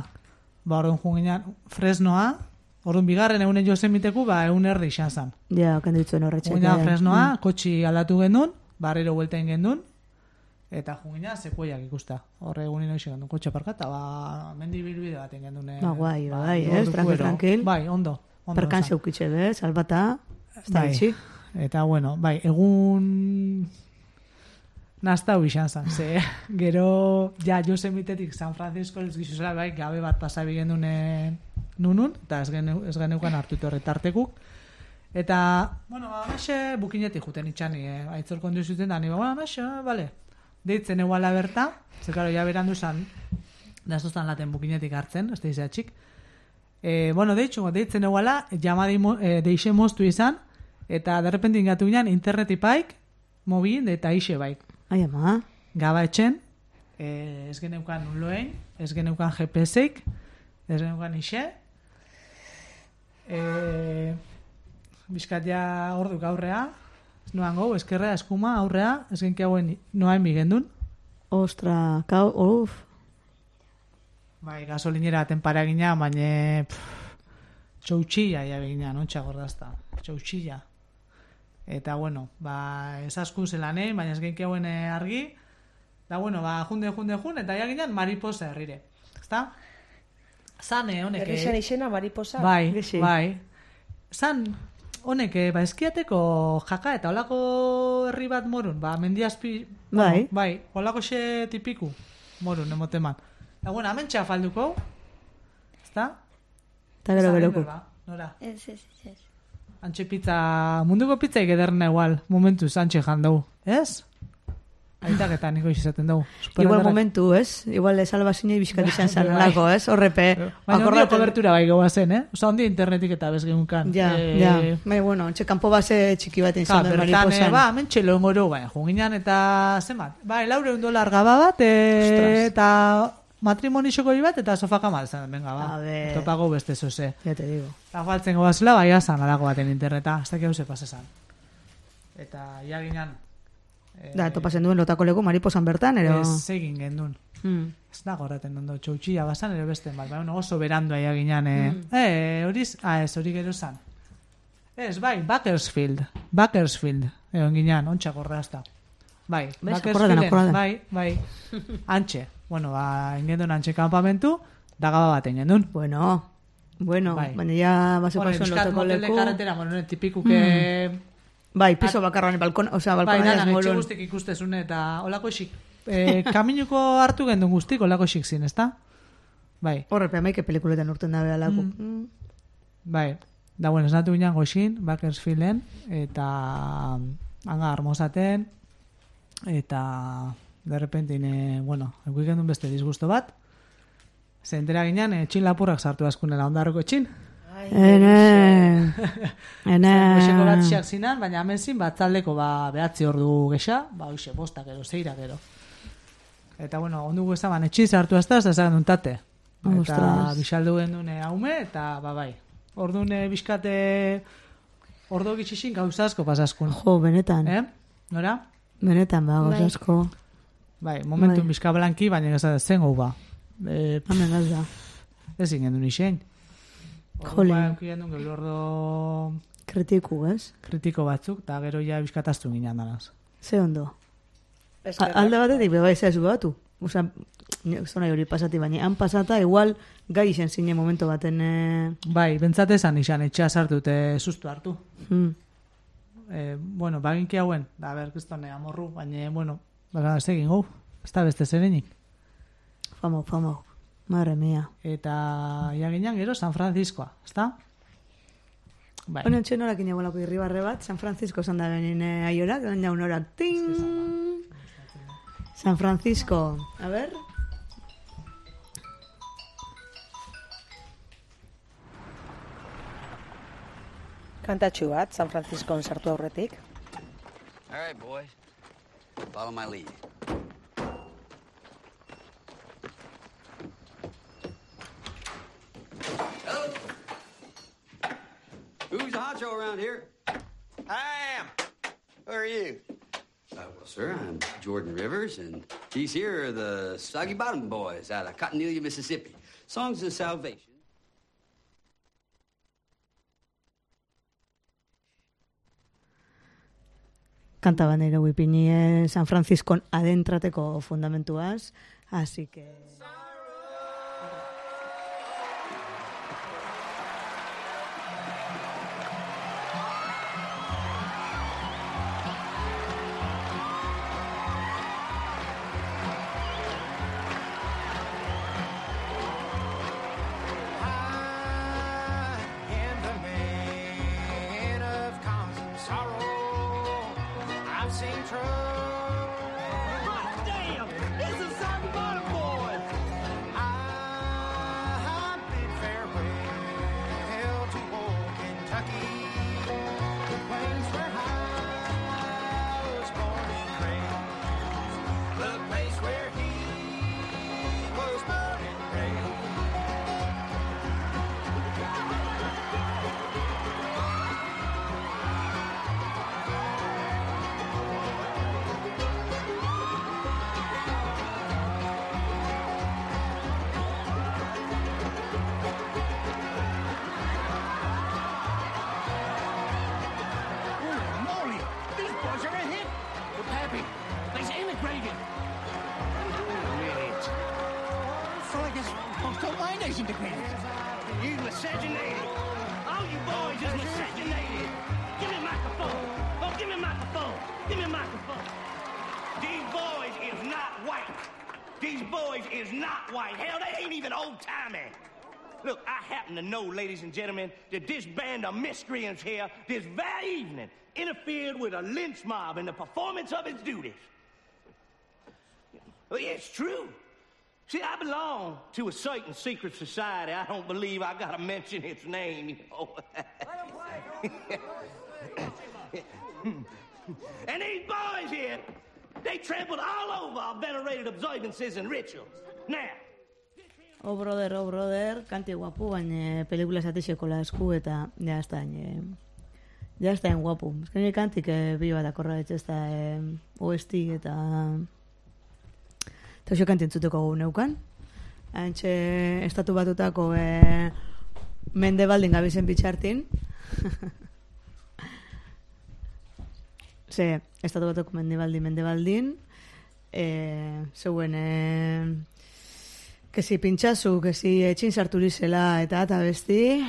Ba, orduan junginan, Fresnoa, orduan bigarren egunen Yosemiteku, ba, egun erdi izan zan. Ja, okan ditzen horretxek. Junginan Fresnoa, kotxi aldatu gendun, barriro bueltain gendun, eta junginan sekuiak ikusta. Horre egunin hoxe gendun, kotxe parkata, ba, mendi bilbide baten gendun. Ba, guai, bai, ez, orduko tranquil, ero. tranquil. Bai, ondo. ondo Perkan esan. zeukitxe, be, salbata, ez da Bai. bitxi. Eta, bueno, bai, egun naztau izan zan, ze gero, ja, Yosemitetik San Francisco ez gizuzela, bai, gabe bat pasabi gendune nunun, eta ez, gene, ez geneukan hartu horretartekuk. Eta, bueno, ba, amaxe bukinetik juten itxani, eh? Aitzor kondu zuten da, ni, ba, amaxe, bale. deitzen eguala berta, ze karo, ja berandu zan, da zoztan laten bukinetik hartzen, ez da izatxik. E, bueno, deitxu, deitzen eguala, jamadi e, deixe moztu izan, eta derrepenti ingatu ginen internetipaik, mobil eta ixe baik. Ai, ama. Gaba etxen, e, ez geneukan unloein, ez geneukan G P S-eik, ez geneukan ixe, e, bizkat ja orduk aurrea, ez noan gau, eskerrea, eskuma, aurrea, ez genki hauen noain bigendun. Ostra, kau, uf. Bai, gasolinera tenpara gina, baina txautxilla ja begina, nontxa gordazta, txautxilla. Eta, bueno, ba, esasku zelanei, baina ez genki hauen argi, da, bueno, ba, junde, junde, jun, eta ja ginen mariposa herrire, ezta? Zane, honek... Herrixen izena mariposa. Bai, Gexi. bai. Zan, honek, ba, eskiateko jaka eta holako herri bat morun, ba, mendiazpi... Bai. Bueno, bai, holako xe tipiku morun, emoteman. Eta, bueno, hemen txafalduko, ezta? Eta gero geroko. Ba, nora? Ez, ez, ez. Antxe pizza, munduko pizzaik ederna igual, momentuz antxe jandau, ez? Aitak eta niko izaten dugu. Igual momentu, ez? Igual salbazinei bizkat izan zan Bai. alako, ez? Horrepe. Baina ondio kobertura bai goa zen, eh? Osa, ondio internetik eta bezgeunkan. Ja, eh, ja. Bai, bueno, txe kanpo base txiki bat Ja, izan duen bertan, eh, mariposan. ba, hemen txelo engoro, baina, junginan eta zemat. Ba, laureun dolar gaba bat, e, Ostras. eta matrimonixoko bat, eta sofakama zen, venga, ba. A ver. Topago beste zoze. Ya te digo. Eta faltzen goazela, bai, azan alako baten interneta, hasta que hau se pasesan. Eta, ia ginean, eh, Da, topasen duen lotako leku mariposan bertan, ero... ez egin gendun. Hmm. Ez da gorraten ondo, txautxilla basan, ere beste, bat, bai, oso berandu aia ginean, eh, eh, horiz, ah, ez, hori gero zan. Ez, bai, Bakersfield, Bakersfield, egon ginean, ontsa gorrazta. Bai, Bez, akordaten, akordaten. bai, bai, antxe. Bueno, ba, ingendun antxe kanpamentu, dagaba bat ingendun. Bueno, bueno, Bai. baina ja baseko Bueno, zuen bizkat lotako motel de leku... carretera, bueno, tipikuke... Bai, piso bakarran, balkon, osea, Bai, balkon dana, etxe molun. guztik ikustezun eta olako xik. Eh, kaminuko hartu gendun guztik, olako xik zin, ezta? Bai, Horrepe, amaike pelikuletan urten dabe alako. Mm. bai. Da, bueno, esnatu ginen goxin, Bakersfielden, eta hanga armosaten, eta de repente, ne, bueno, ekuik gendun beste disgusto bat, ze entera ginen, e, txin lapurrak sartu askunela ondarroko txin. Ene, ene... Goxeko bat xeak zinan, baina hemen zin, batzaldeko ba, behatzi ordu gexa, ba, hoxe, bostak gero, zeira gero. Eta, bueno, ondugu ezaban, etxiz hartu azta, ez da tate. Eta Ostras. bisaldu gendune haume, eta, ba, bai. Ordune bizkate, ordo gitxixin gauzazko pasaskun. Jo, benetan. Eh? Nora? Benetan, ba, Bai. gozasko. Bai, momentu Bai. bizka blanki, baina ez zen gau ba. E, Hamen gazda. ez ingen du nixen. Jole. Ba, eukien gero ordo Kritiku, ez? kritiko batzuk, eta gero ja bizkataztu ginen danaz. Ze ondo. A- Eskerrak. Alde batetik, beba ez ez batu. Osa, zona hori pasati, baina han pasata, igual, gai izen zine momento baten... Eh... Bai, bentsat esan izan, etxea sartu eta sustu hartu. Hmm. Eh, bueno, baginki hauen, da, ber, kristone, amorru, baina, bueno, baka, ez egin gau, ez da beste zerenik. Famo, famo. Madre mia. Eta, ja ginen gero, San Franciscoa, ez da? Bai, Hone ontsen horak inabolako irribarre bat, San Francisco zan da benin eh, aiorak, dan jaun horak, ting! San Francisco. A ver... Kantatxu bat, San Franciscon sartu aurretik. All right, boys. Follow my lead. Hello. Who's the honcho around here? I am. Who are you? Uh, well, sir, I'm Jordan Rivers, and these here are the Soggy Bottom Boys out of Cottonelia, Mississippi. Songs of Salvation. Kanta bandera guipini eh, San Franciscon adentrateko fundamentuaz, así que... I am the man of constant sorrow. I've seen trouble folks told my nation depends. You miscegenated. All you boys is miscegenated. Give me a microphone. Oh, give me a microphone. Give me a microphone. These boys is not white. These boys is not white. Hell, they ain't even old-timey. Look, I happen to know, ladies and gentlemen, that this band of miscreants here this very evening interfered with a lynch mob in the performance of its duties. Well, yeah, it's true. See, I belong to a certain secret society. I don't believe I gotta mention its name, you know. And these boys here, they trampled all over our venerated observances and rituals. Now, Oh, brother, oh, brother, kanti guapu, baina pelikula zatixeko la esku eta ja ez da, eh, ja ez da en guapu. Ez que nire kantik eh, bi bat akorra ez da eh, O S T eta eta oso kanti entzuteko gu neukan. Hantxe estatu batutako eh, Mendebaldin gabizen bitxartin. Ze, estatu batutako Mendebaldin, Mendebaldin, eh, zeuen... Eh, que si pintxazu, que si etxin sarturizela eta eta besti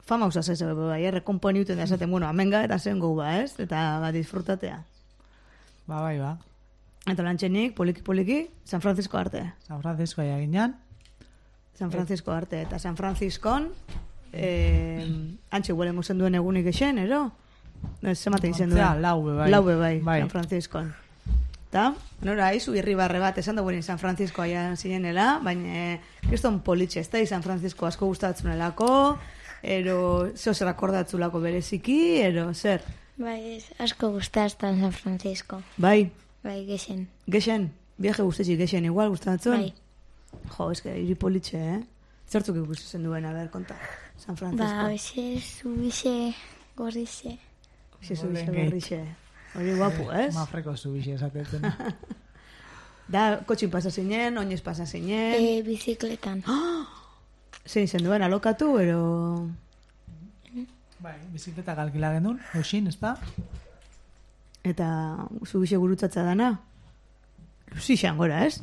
fama usaz ez, bai, errekomponiuten da esaten, bueno, amenga eta zen gau ba, ez? Eta ba, disfrutatea. Ba, bai, ba. Eta lantxenik, poliki-poliki, San Francisco arte. San Francisco aia ginean. San Francisco arte. Eta San Franciscon, eh, antxe huele musen duen egunik esen, ero? Zemate izen duen. Zea, laube, bai. Laube, bai, bai. San Franciscon. Eta, nora, izu irribarre bat, esan da San Francisco aia zinenela, baina kriston politxe, ez da, San Francisco asko gustatzunelako, ero, zeo zer akordatzulako bereziki, ero, zer? Bai, ez, asko gustaztan San Francisco. Bai, Bai, gexen. gexen, viaje guztetxik gexen, igual gustatzen? Bai. Jo, ez que, iri politxe, eh? Zertzuk ikusten duen, a ber, konta, San Francisco. Ba, hoxe, zubixe, gorrixe. Hoxe, zubixe, Golden Gate. gorrixe. Hori guapu, ez? Mafreko zubixe esatetzen. Da, kotxin pasa zinen, oinez pasa zinen. E, bizikletan. Zein zen duen, alokatu, ero... Bai, bizikleta galkila genuen, eusin, ez da? Eta zubixe gurutzatza dana. Zixan gora, ez?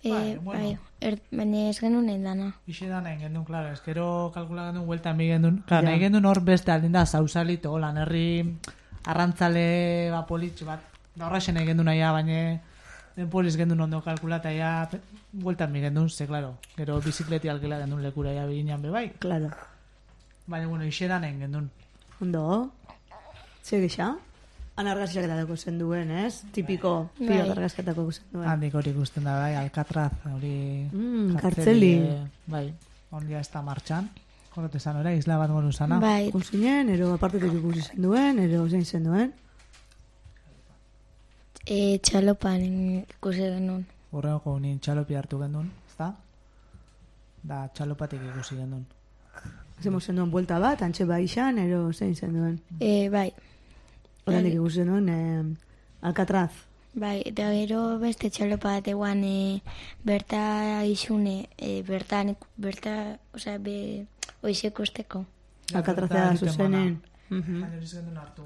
E, Bai, bueno. bai, er, baina ez genuen dana. Ixe da nahi gendun, klaro, eskero kalkula gendun, huelta mi gendun. Klaro, Ja. nahi gendun hor beste aldin da, sausalito, lan herri arrantzale ba politx bat. Da horraxen nahi gendun nahi, baina den poliz gendun ondo kalkulata, ja, huelta mi gendun, ze, klaro, gero bizikleti alkila gendun lekura, ja, biginan be bai. Claro. Baina, bueno, ixe da nahi gendun. Ondo. Ze gisa? Han argazketako zen duen, ez? Tipiko Bai. pilot argazketako zen duen. Handik hori ikusten da, bai, Alcatraz, hori... Mm, kartzeli. eh, Bai, ondia ez da martxan. Horret esan ora, isla bat moru zana. Bai, Ikusinen, ero apartetik ikusi zen duen, ero zein zen duen. e, txalopan ikusi genuen. Horrego nien txalopi hartu gendun, ezta? Da, txalopatik ikusi gendun. Zemo zen duen buelta bat, antxe baixan, ero zein zen duen. E, bai, Horandik ikusi zen duen, eh, Alcatraz. bai, eta gero beste txalopa bat eguan e, berta isune, e, bertan, berta, osea, be, oize ikusteko. Alcatrazea zuzenen. Mhm. Baina ez gendun hartu.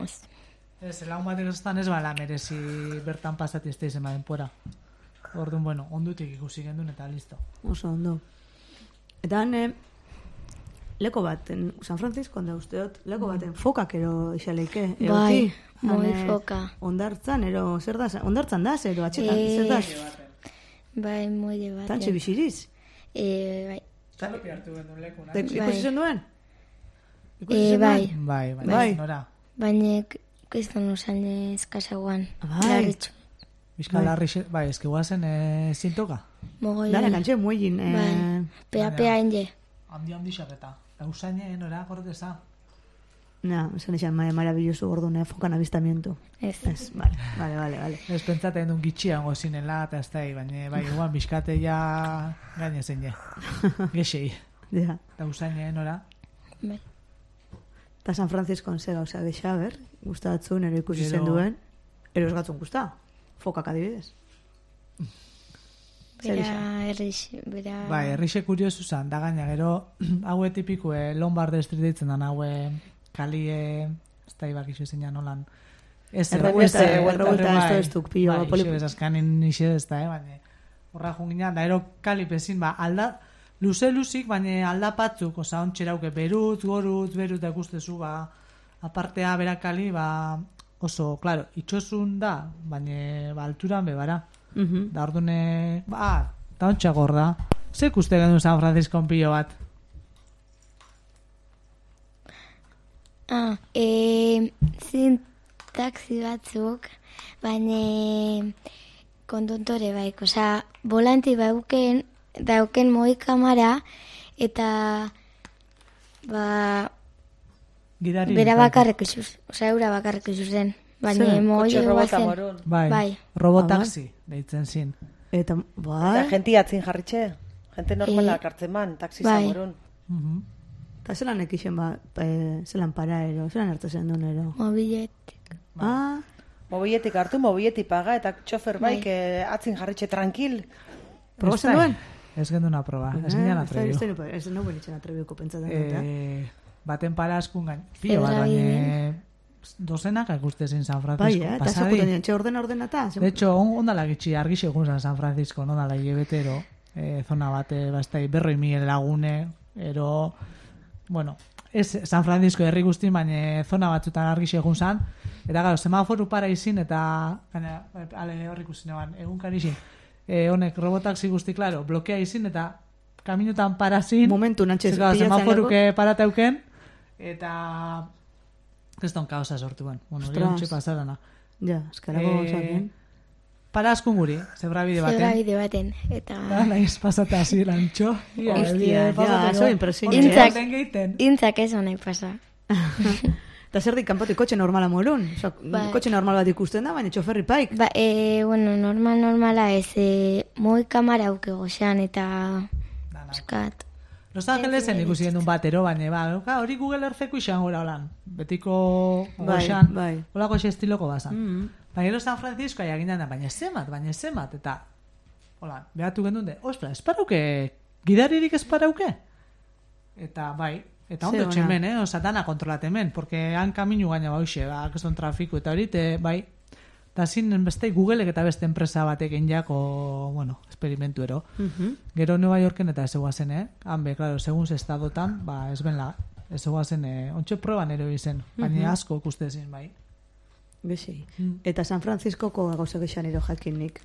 Ez. Ez, lagun bat egoztan ez bala merezi bertan pasati ez da izen baden puera. Orduan, bueno, ondutik ikusi gendun eta listo. Oso ondo. Eta han, eh, leko baten, San Francisco, da usteot, leko baten fokak ero isaleike. Bai, moi Han, eh, foka. Ondartzan, ero, zer da, ondartzan da, ero, atxetan, Eh, zer da, Bai, moide bat. tantxe bisiriz. E, bai, Txalopi hartu gendun leku, Te- nahi? Ikusi zen duen? Ikusi e, zen bai, duen? Bai, bai, Bai. nora. baina kriston usan eskazaguan. Bai. Larritxu. Bizka larri, xe- bai, eski guazen e, zintoka. Mogoi. Dara, kantxe, muegin. Eh, Bai, pea, pea ende. Handi handi xarreta. Eusaine, nora, gordeza. Na, esan esan, ma- maravilloso gordon, eh, fokan avistamiento. Ez. Ez, vale, vale, vale, vale. Ez pentsaten duen gitxiango zinela, eta ez da, baina, bai, guan, bizkate ja gaine zen je. Gexei. Ja. Eta usaine, nora. Bai. Eta San Francisco ze gauza gexa, ber, gustatzen, ero ikusi Gero- zen duen. Ero ez gatzun gusta, fokak adibidez. Zer Bera, izan? errix, bera... Bai, errixe kuriosu zan, da gaina, gero, haue tipikue, Lombard Street ditzen dan, haue, kalie, ez da ibak iso zein nolan. Ez, Errebuelta, ez, errebuelta bai, ez duk, pilo, bai, poli- iso bezazkanin iso ez da, eh, baina, horra junginan, da ero kalipezin, ba, alda, luze-luzik, baina aldapatzuk, oza, ontxerauke, berutz, gorutz, berutz, da ikustezu, ba, apartea berakali, ba, oso, claro, itxosun da, baina, ba, alturan bebara. Mhm. Da ordune, ba, da ontxagor da. Zer ikuste gendu San Francisco pilo bat? Ah, e, zin taxi batzuk, baina konduntore baik, osea, volanti bauken, dauken moi kamera, eta ba, Gidari. bera bakarrik izuz, osea, eura bakarrik izuzen. Baina Zer? moi Kotxe robota guazen. morun. Bai, Bai. robotaxi, deitzen zin. Eta, Eta bai, jenti atzin jarritxe. Jente normalak Eh, hartzen man, taxi bai. zamorun. Mhm. eta zelan ekixen ba, e, zelan paraero, zelan hartu zen duen ero. Mobiletik. Ah, Mobiletik hartu, mobiletik paga, eta txofer baik Bai. eh, atzin jarritxe tranquil. probazen Ez da, duen? Ez gendu una proba, ez Eh, ginen ez da- atrebiu. ez da- Ez no benitzen atrebiuko pentsatzen dut, Eh, baten para askun gain. Pilo bat, Zebrabide. baina dozenak ikustezen San Bai, Francisco. eh, eta Pasadi. esakuten dien, txe ordena ordena eta. De hecho, on, ondala gitxi argixe egun zan San Francisco, ondala hilebetero, eh, zona bate, bastai, berroi mil lagune, ero, bueno, ez San Francisco herri guztin, baina zona batzutan argixe egun zan, eta gero, semaforu para izin, eta, gaina, ale horrik usin eban, egun karixin, eh, honek robotaxi guzti, claro, blokea izin, eta kaminutan parazin, Momentu nantxe Zeka, pilatzen semaforuke parateuken, eta kriston kaosa sortu ben. Bueno, hori Ostras. ontsi pasarana. Ja, eskarako Eh, gauzakin. Para askun guri, zebrabide baten. Zebrabide baten, eta... Da, nahiz pasata hasi lantxo. Ia, Hostia, ebide, ja, pasate oso go. impresionante. Hori Intzak. den geiten. Intzak ez honai pasa. Eta zer dik kanpotik kotxe normala morun. Osa, Bai. kotxe normal bat ikusten da, baina txoferri paik. Ba, e, bueno, normal, normala ez, e, moi kamara auke goxan, eta... Dana. Eskat. Los Angelesen ikusi genuen batero, baina, ba, oka, hori Google Eartheko izan gora holan. Betiko Bai, goxan, bai. holako xe estiloko bazan. Mm. Baina gero San Francisco aia gindan da, baina zemat, baina zemat, eta, hola, behatu gendun de, ostra, esparauke, gidaririk esparauke? Eta, bai, eta Ze ondo ona. txemen, eh, oza, dana kontrolatemen, porque han kaminu gaina bauxe, ba, keston trafiku, eta hori, te, bai, eta zin beste Googleek eta beste enpresa batek jako, bueno, experimentu ero. Mhm. Gero Nueva Yorken eta ez eguazen, eh? Han be, claro, segun ze estadotan, ba, ez benla, ez eguazen, eh, ontxe proban ero izen, baina asko ikuste ezin, bai. Bezi. Mm. Eta San Franciscoko gauza gexan ero jakinik.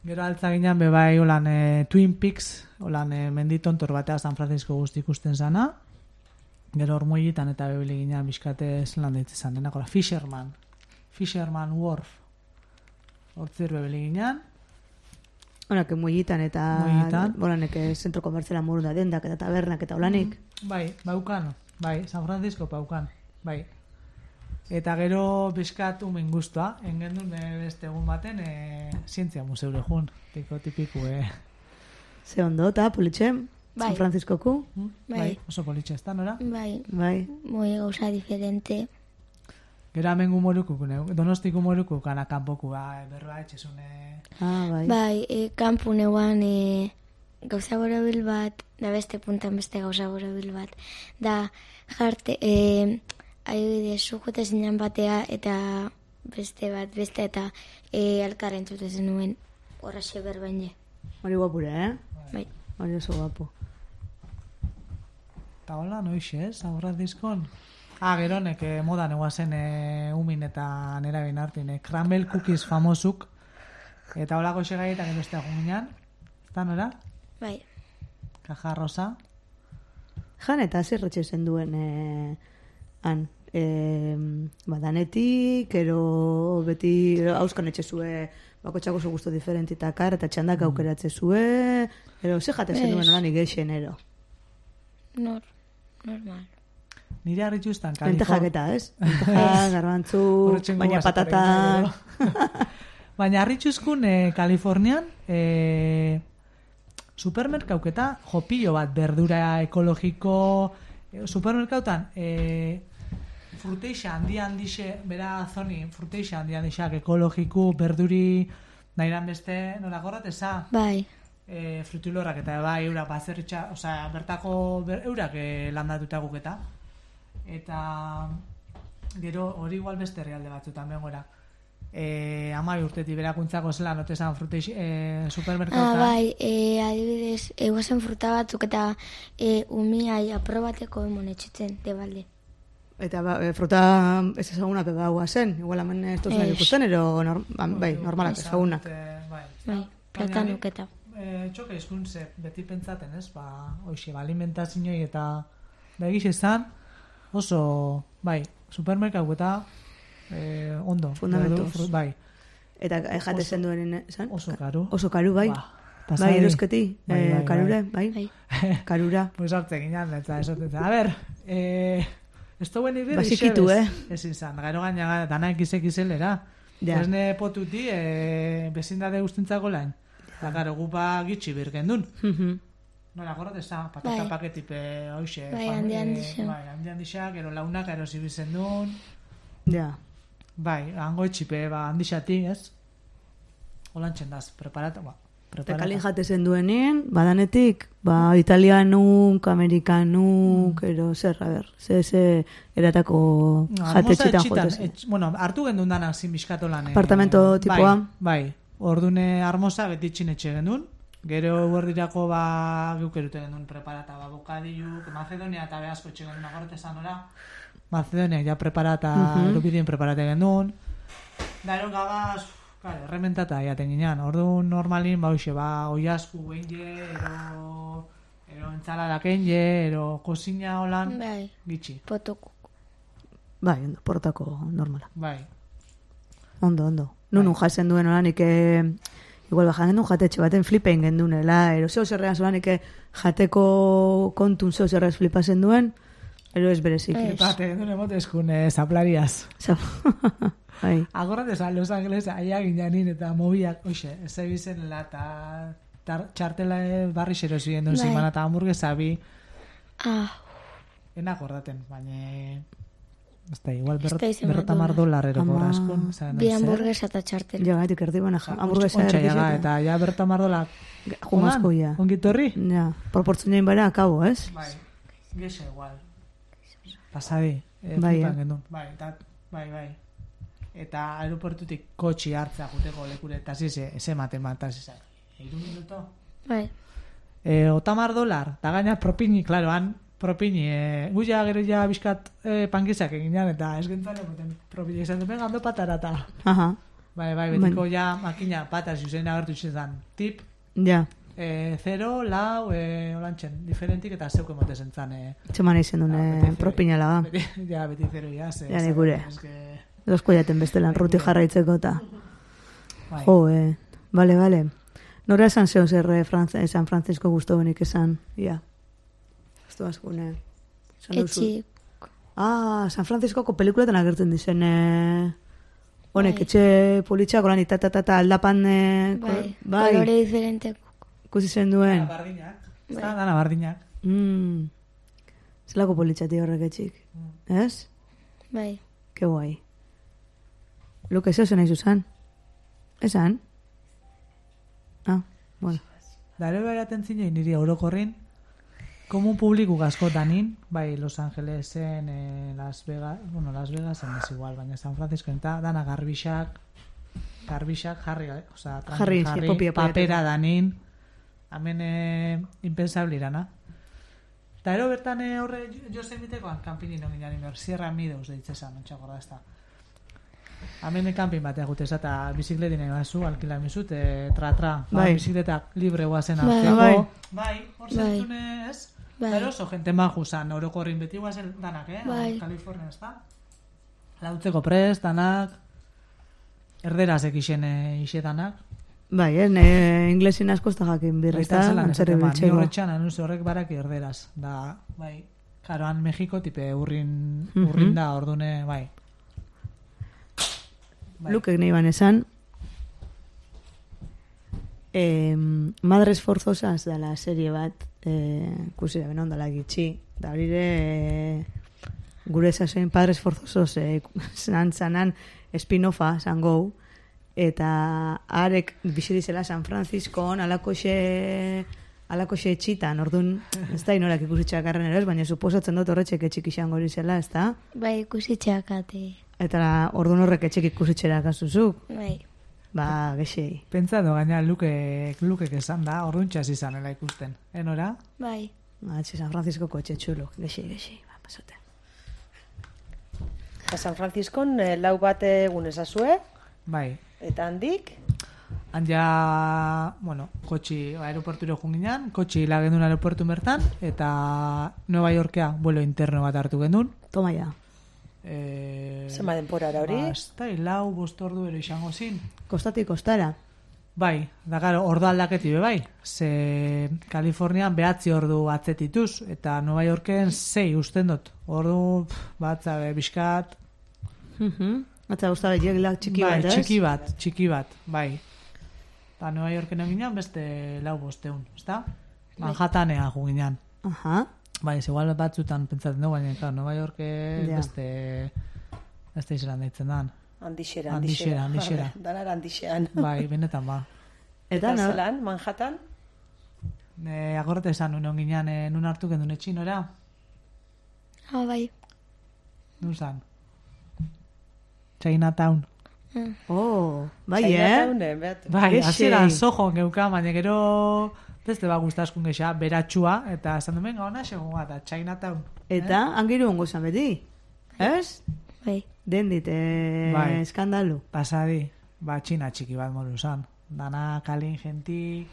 Gero altza ginen be bai holan eh, Twin Peaks, holan eh, menditontor batea San Francisco guzti ikusten zana. Gero ormoietan eta bebili ginen bizkate zelan deitzen zan, denako la Fisherman. Fisherman Wharf. Hortzer bebili ginen. Honak, muigitan eta... Muigitan. Boranek, zentro komertzela morun da dendak eta tabernak eta olanik. Bai, baukan, bai, San Francisco baukan, bai. Eta gero bizkat umen guztua, engendun eh, beste egun baten e, zientzia museure jun, tiko tipiku, eh. Ze ondo, eta politxem, Bai. San Franciscoku. Mm? Bai. Oso politxe ez da, nora? Bai, Bai. moi gauza diferente. Gero hemen gumoruku, donostik gumoruku, kana kanpoku, ba, berroa etxezune... Ah, bai. Bai, e, kanpu neuan e, gauza borobil bat, da beste puntan beste gauza borobil bat. Da, jarte, e, adibidez, zujote zinan batea, eta beste bat, beste eta e, alkarren txute zenuen horraxe berbaine. Hori guapure, eh? Bai. Hori oso guapo. Eta hola, noixe, ez, San Franciscon? Ah, gero nek eh, modan eguazen eh, umin eta nera bin hartin, eh, crumble cookies famosuk, eta holako xegai eta gero estea junginan, eta nora? Bai. Kaja rosa. Jan eta zerretxe zen duen eh, han. Eh, badanetik, ero beti hauskan etxe zue, bakotxako oso gusto diferentitakar, eta txandak aukeratze zue, ero ze jate zen Ez. duen olanik geixen, ero. Nor, normal. Nire harritxu iztan, Lentejak eta, ez? Lentejak, garbantzu, Horretxen baina gugaz, patatan... Baina harritxuzkun eh, Kalifornian eh, supermerkauketa jopillo bat berdura ekologiko eh, supermerkautan eh, fruteixa handi handixe bera zoni fruteixa handi handixak ekologiku berduri nahiran beste nola gorrat eza Bai. eh, frutilorrak eta bai eurak bazerritxa osea bertako ber, eurak eh, landatuta guketa eta gero hori igual beste herrialde batzutan bengora. eh, ama urtetik berakuntzako zela notezan frute eh, Ah, supermerkautan. bai, e, adibidez, eguazen fruta batzuk eta e, umiai aprobateko emon etxitzen, debalde. Eta ba, e, fruta ez ezagunak egaua zen, igual hemen ez toz nahi Ez. ikusten, ero nor, ba, bai, normalak ezagunak. Bai, Bai, platanuk eta. Eh, txoke izkuntze, beti pentsaten, ez? Ba, hoxe, ba, alimentazioi eta da egiz izan, oso, bai, supermerkau eta eh, ondo. Fundamentuz. Fru- Bai, Eta e, jate Oso- zen duen, zan? oso karu. Oso karu, bai. Ba, Bai, pasadi. erosketi, Bai, eh, bai, karure, bai. Bai. Karura. Pues hartzen ginen, eta esaten zen. A ber, eh, ez da buen ibir, Basikitu, eh? Ez izan, gero gaina dana ekizek izelera. Ja. Esne potuti, eh, bezindade guztintzako lain. Eta gero gupa gitxi birgen dun. Mhm. Nola, gorot eza, patata Bai. paketipe, hoxe. Bai, fam- handi eh, handixak. Bai, handi handixak, gero launak erosi bizen dun. Ja. Bai, hango etxipe, ba, handixati, ez? Olantxen daz, preparata, ba, Eta preparata. kalin jate zen duenean, badanetik, ba, italianuk, amerikanuk, Mm. ero, zer, a ber, ze, ze, eratako jate txitan jote zen. etx, bueno, hartu gendun danak zin biskatu lan. eh, Apartamento tipoa? Bai, bai. Ordune armosa beti txinetxe gendun. Gero guardirako ba guk erute gendun preparata, ba, bokadiluk, Macedonia eta behazko etxe gendun agorte esan ora. Macedonia ja preparata, Mhm. erupirien preparate gendun. Da, ero gabaz, claro, errementata jaten ginean. Orduan normalin, ba, hoxe, ba, oiazku enge, ero, ero entzaladak enge, ero kozina holan, Bai, gitxi. potoku. Bai, ondo, portako normala. Bai. Ondo, ondo. Nunun jasen duen olanik, e, igual bajan gendun jatetxe baten flipen gendunela, ero zeo zerrean zolanik jateko kontun zeo zerreaz flipasen duen, ero ez berezik. Ez. Bate, gendun emotezkun eh, zaplariaz. Za- Bai. Agorra desa Los Angeles aia gineanin eta mobiak, oixe, ez ebizenela eta tar- txartela eh, barri xero ziren duen Bai. zimana eta hamburguesa bi, Ah, enak gordaten, baina ez da, igual berrot, da izen berrota bat mar dolar. dolar eroko Ama. askun, zan, bi hamburguesa eta txartel. Ja, gaitik erdi bana, hamburguesa Ontsa erdi jaga, zeta. eta ja berrota mar dolar. Jumazko ja. Ongitorri? Ja, proportzionein bara akabo, ez? Bai, gexe igual. Pasadi, eh, Bai, flipan eh. gendun. Bai, eta, bai, bai. Eta aeroportutik kotxi hartzea juteko lekure, eta zize, ez ematen bat, eta zizak. Eiru minuto? Bai, E, otamar dolar, eta gaina propini, klaro, han propini, e, gu ja gero ja bizkat e, pankizak eginean, eta ez gentzan egoten propini, esan du, venga, ondo patarata. Aha, Bai, bai, betiko ja makina pataz zuzen agertu izan, tip, ja. e, zero, lau, e, olantxen, diferentik, eta zeuko emotezen zan, e, Txeman izan duen Ah, eh, beti zero. propinala ba. beti, ja, beti zero, ja, ze, Ja, ze- nikure. eske, Dosko jaten bestelan ruti jarraitzeko eta. bai. Jo, eh. Bale, bale. Nora esan zeo zer eh, Franz- eh, San Francisco guztu benik esan. Ja. Ez du askune. Esan duzu. etxi. Ah, San Franciscoko pelikuletan agertzen dizen eh, honek Bai. etxe politxak olan itatatata aldapan eh, ko- Bai, bai, kolore diferente. ikusi zen duen. Bardinak, ez da, dana bardinak. Mm. Zelako politxati horrek etxik. Ez? Bai, Ke guai. Luke, zeo zen nahi zuzan? Esan? Ah, bueno. Dare beraten zinei niri orokorrin, komun publiku askotanin, bai Los Angelesen, eh, Las Vegas, bueno, Las Vegasen ez igual, baina San Francisco eta dana garbixak, garbixak jarri, eh? Osea, tranqui, Jarri, jarri, popia, popia, papera popia. danin, hemen eh, impensable irana. Eta ero bertan eh, horre jo zen bitekoan, kanpinin nogin jani behar, Sierra Meadows deitzezan, ontsak gorda ez da. Hemen kanpin batea guteza eta bizikletin egin bazu, alkila mizut, e, tra-tra, ba, Bai. bizikletak libre guazen Bai. hartzeko. Bai. Bai, hor Bai. zentzune ez? Bai. Pero oso jente maju zan, orokorrin beti guazen danak, eh? Bai. Kalifornia ez da? Lautzeko prest, danak, erderaz ekixen e, ixe danak. Bai, eh, ne, inglesin asko ez da jakin Baita birrita, zelan antzerri esaten ba, ni biltzeko. horretxan, anunzio horrek baraki erderaz. Da, bai, karoan Mexiko tipe urrin, Mhm. urrin da, ordune, bai. Bai. Lukek nahi ban esan, eh, Madres Forzosas dela serie bat, eh, ikusi da benon dela gitxi, da horire eh, gure esasoen Padres Forzosos eh, zan zanan spin-offa zan gau, eta arek bizitizela San Franciscoan alakoxe alakoxe etxitan, orduan ez da inorak ikusitxak arren ere ez, baina suposatzen dut horretxek etxik izango hori zela, ez da? bai, ikusi txakate. Eta ordun horrek etxek ikusitxera kasuzuk. Bai. Ba, gexei. Pentsatu gaina Lukek, Lukek esan da, orduntxas izanela ikusten. Enora? Bai. Ba, etxe San Francisco kotxe txulo. Gexei, gexei. Ba, pasate. Eta San Franciscon eh, lau bat egun ezazue, Bai. eta handik, Han ja, bueno, kotxi, aeroporturo junginan, kotxi hila gendun aeroportu bertan, eta Nueva Yorkea, vuelo interno bat hartu gendun. Toma ja. E, zema denporara hori, Ba, ez da, lau, bost ordu ero izango zin. Kostatik kostara. Bai, da gero, ordu aldaketi be bai. Ze Kalifornian behatzi ordu atzetituz, eta Nueva Yorken sei usten dut. Ordu, pff, batza, be, bizkat, Mhm. Atza guzta behiak txiki bai, bat, ez? txiki bat, txiki bat, bai. Eta Nueva Yorken eginan beste lau bosteun, ezta? Manhattanea juginan. Aha. Bai, ez igual batzutan pentsatzen dugu, baina, claro, Nueva Yorke Ja. beste, beste izan daitzen dan. handixera, Handixera, handixera. Danar handixean. Bai, benetan ba. Eta, Eta no? zelan, Manhattan? E, agorte esan, nun ginean, e, nun hartu gendun etxinora, Ah, bai. nun zan? Chinatown. Oh, bai, eh? Chinatownen, behat. Bai, Gexei. hasieran sojon geuka, baina gero beste ba gustaskun gexa, beratxua, eta esan duen gauna segun bat, eta Chinatown. Eta, angiru ongo zan beti. Ez? Bai. Den dit, eh, Bai. eskandalu. Pasadi, ba, txina txiki bat moru zan. Dana kalin genti,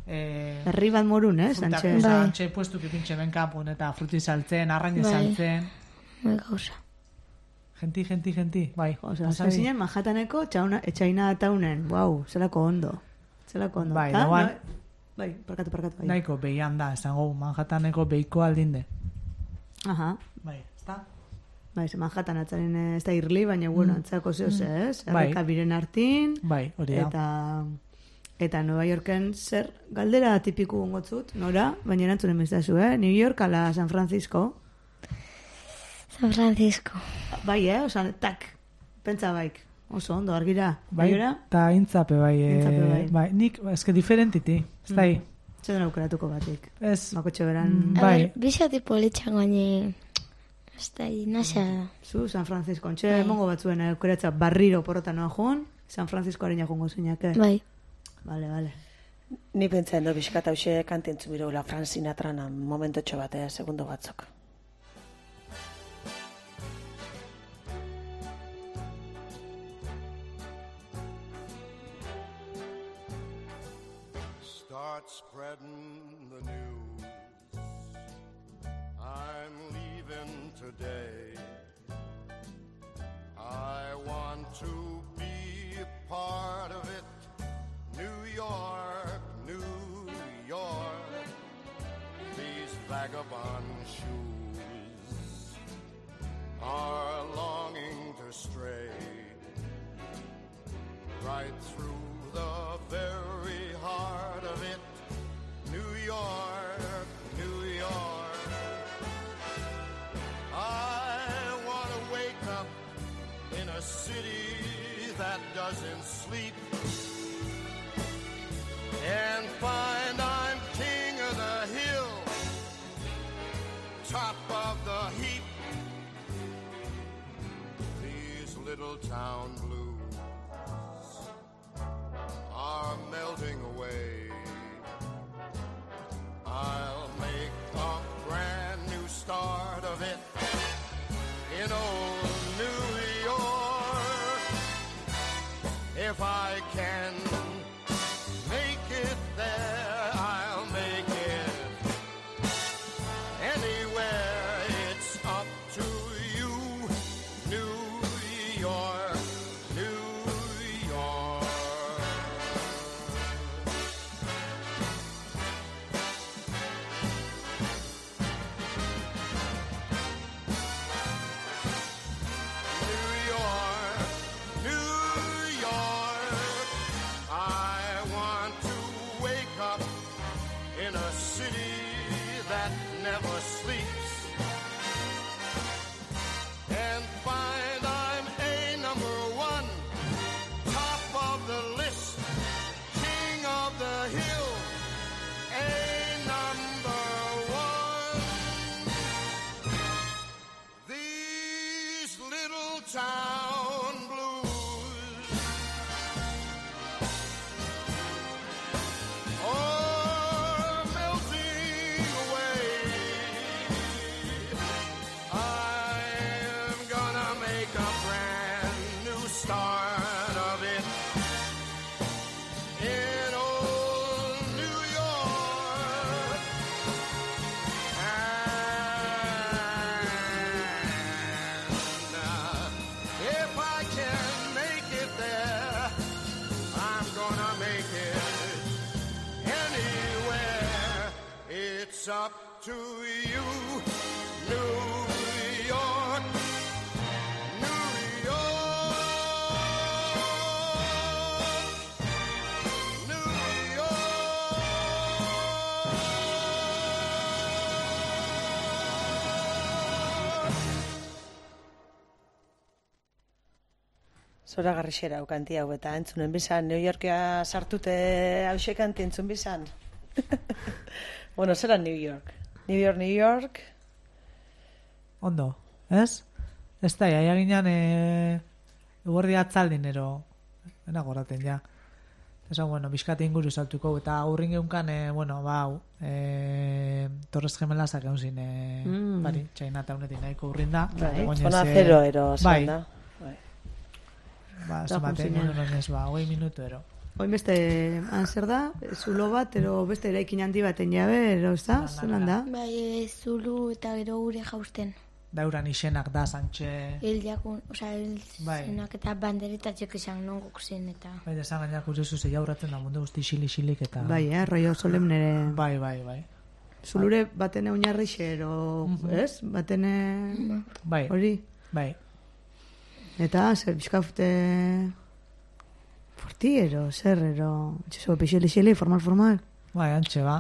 eh, Herri bat morun, ez? frutak, Antxe. oza, Bai. antxe puestu kipintxe benkapun, eta fruti saltzen, arraine Bai. saltzen. Bai gauza. Genti, genti, genti, bai. Osa, pasadi. zinen Manhattaneko txauna, etxaina taunen. Wow, zelako ondo. Zelako ondo. Bai, Ta, dauan- no- Bai, parkatu, parkatu. Bai. Nahiko behian da, esango Manhattaneko behiko aldinde. Aha. Bai, ezta? Bai, ze Manhattan atzaren ez da irli, baina, bueno, Mm. antzako zehoz, ez? Bai. Erreka biren hartin. Bai, hori da. Eta... Eta Nueva Yorken zer galdera tipiku ongotzut, nora? Baina erantzunen biztazu, eh? New York ala San Francisco. San Francisco. Bai, eh? Osa, tak, pentsa baik. Oso ondo, argira. Bai, Baiora? eta intzape bai, eh, Intzape bai. bai, nik, eske diferentiti, ez da, Mm. Zeden aukeratuko batik. ez, Makotxe beran... Mm. A Bai. ber, bizati politxan gaine... Ez da, nasa... Zu, San Francisco. Ontxe, Bai. mongo batzuen aukeratza barriro porrota noa joan, San Francisco harina jongo zuinake. Bai. Vale, vale. Ni pentsa endo bizkat hause kantentzu mirola Frank Sinatrana momentotxo bat, eh, segundo batzuk. Start spreading the news. I'm leaving today. I want to be a part of it. New York, New York. These vagabond shoes are longing to stray right through the very heart of it. New York, New York. I want to wake up in a city that doesn't sleep and find I'm king of the hill, top of the heap. These little town blues are melting away. gonna make it anywhere. It's up to you, New York, New York, New York. Zora garrixera ukanti hau eta entzunen bizan, New Yorkea sartute hause kanti entzun bizan. Bueno, zera New York. New York, New York. Ondo, ez? Ez da, jaia ginen e, eguerdi atzaldin ero, ena goraten ja. Esan, bueno, bizkate inguru saltuko, eta aurrin geunkan, e, bueno, bau, e, Torres Gemelazak egun zin, e, Mm. bari, Chinatownetik nahiko urrin da. Bai, Oinez, zona e, zero ero bai, zan da. Bai. ba, Da, zematen, junzinen. bueno, ez, ba, hogei minutu ero. Oin beste, han zer da, zulo bat, ero beste eraikin handi baten jabe, ero ez da, zelan da? Bai, e, zulu eta gero gure jausten. Dauran izenak da, Santxe, Hiljakun, osea, Bai. hilzenak eta banderetatxek izan non zen eta... bai, desan gainak gurezu zei aurratzen da mundu guzti xili-xilik eta... Bai, eh, rollo solemnere. Bai, bai, bai. Zulure batene oinarrixe, ero, ez? Batene Bai, hori. bai. Eta, zer, bizkafte... Fortiero, zer, ero... Txeso, pixeli-xeli, formal-formal. Bai, antxe, ba.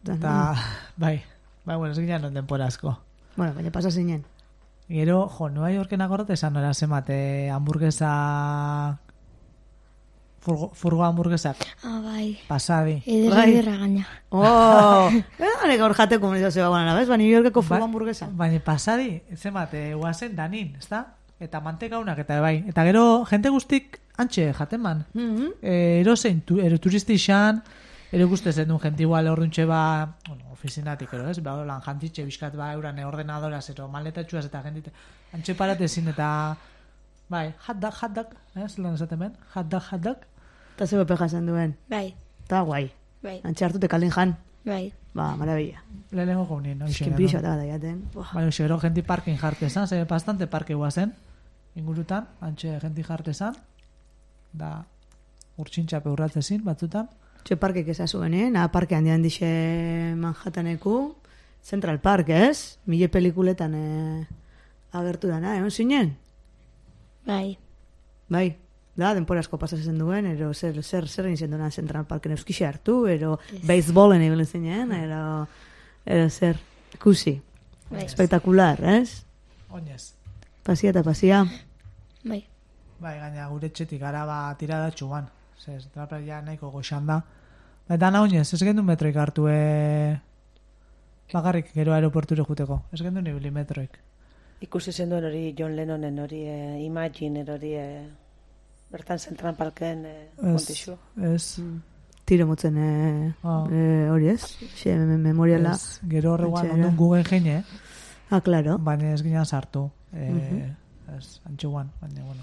Eta, bai, bai, bueno, ez ginen non denpora asko. Bueno, baina pasa zinen. Gero, jo, Nueva Yorken agorrat esan nora zemate hamburguesa... Furgo, furgo hamburguesak, Ah, bai. pasadi. Ederra, Bai. ederra gaina. Oh! Hane gaur jate komunizazioa guana, bez? Ba, New Yorkeko Ba- furgo hamburguesa. Baina pasadi, zemate, guazen danin, ezta? Eta mantekaunak eta bai. Eta gero, jente guztik antxe jaten man. Mhm. E, ero zein, tu, ero turisti xan, ero guzti zen duen jenti igual orduntxe ba, bueno, ofizinatik, ero, ez? Ba, lan jantitxe bizkat ba, euran ordenadoraz, ero maletatxuaz eta jentite. Antxe paratezin eta, bai, hot dog, hot dog, ez? Lan esaten ben, hot dog, hot dog. Eta zebe peja zen duen. Bai, Eta guai. bai, Antxe hartute kalin jan. bai. Ba, maravilla. Lehenengo gaunien, no? Eskin pixo eta gada jaten. Buah. Bai, oxe, gero jenti parkin jartezan, ze bastante parke guazen, ingurutan, antxe jenti jartezan, da urtsintxape urratzezin, batzutan. Txe parkek ezazuen, eh? Na parke handi handixe Manhattaneku. Central Park, ez? Mille pelikuletan eh, agertu dana, egon zinen? Bai, Bai, da, denpora asko pasatzen duen, ero zer, zer, zer egin zenduna Central Parken euskixe hartu, ero baseballen egin zinen, ero, ero zer, ikusi. bai, Spektakular, ez? Oinez. Pasia eta pasia. bai. Bai, gaina gure etxetik gara ba tiradatxuan. Zer, trapel ja nahiko goxan da. Eta na oinez, ez gendu metroik hartu e... bakarrik gero aeroporture juteko. Ez gendu nibili metroik. Ikusi zen duen hori John Lennonen hori e, Imagine hori e, bertan Central Parken e, kontixu. Ez, Tiro motzen eh, Ah. eh, hori ez? Xe, me- memoriala. ez, gero horreguan Antxe, ondun Google jeine, Ah, claro. baina ez ginen sartu. E, Mhm. Ez, antxuan, baina, bueno.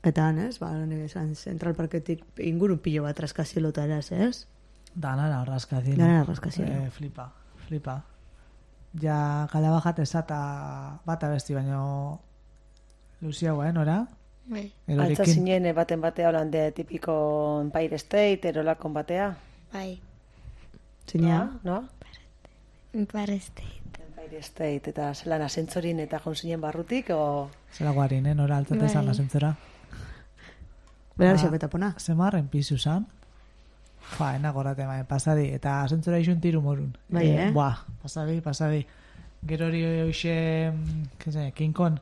Eta han, ez? Ba, nire esan Central Parketik inguru pilo bat raskazielota eraz, ez? Danara raskazielo. Danara raskazielo. Eh, flipa, flipa. Ja, gala bajat ezata bat abesti, baino luziagoa, eh, nora? Bai, Altza zinen e, baten batea holande tipiko Empire State, erolakon batea. bai. Zinea. No? Empire State. Empire State, eta zelan asentzorin eta joan zinen barrutik, o... Zela guarin, eh, nora altzate Bai. zan asentzora. Bera Ah. xapetapona. Zemarren pizu zan. Fa, enagorate, bai, pasadi. Eta asentzora isun tiru morun. Bai, eh? Buah, pasadi, pasadi. Gero hori hoxe, que se, King Kong.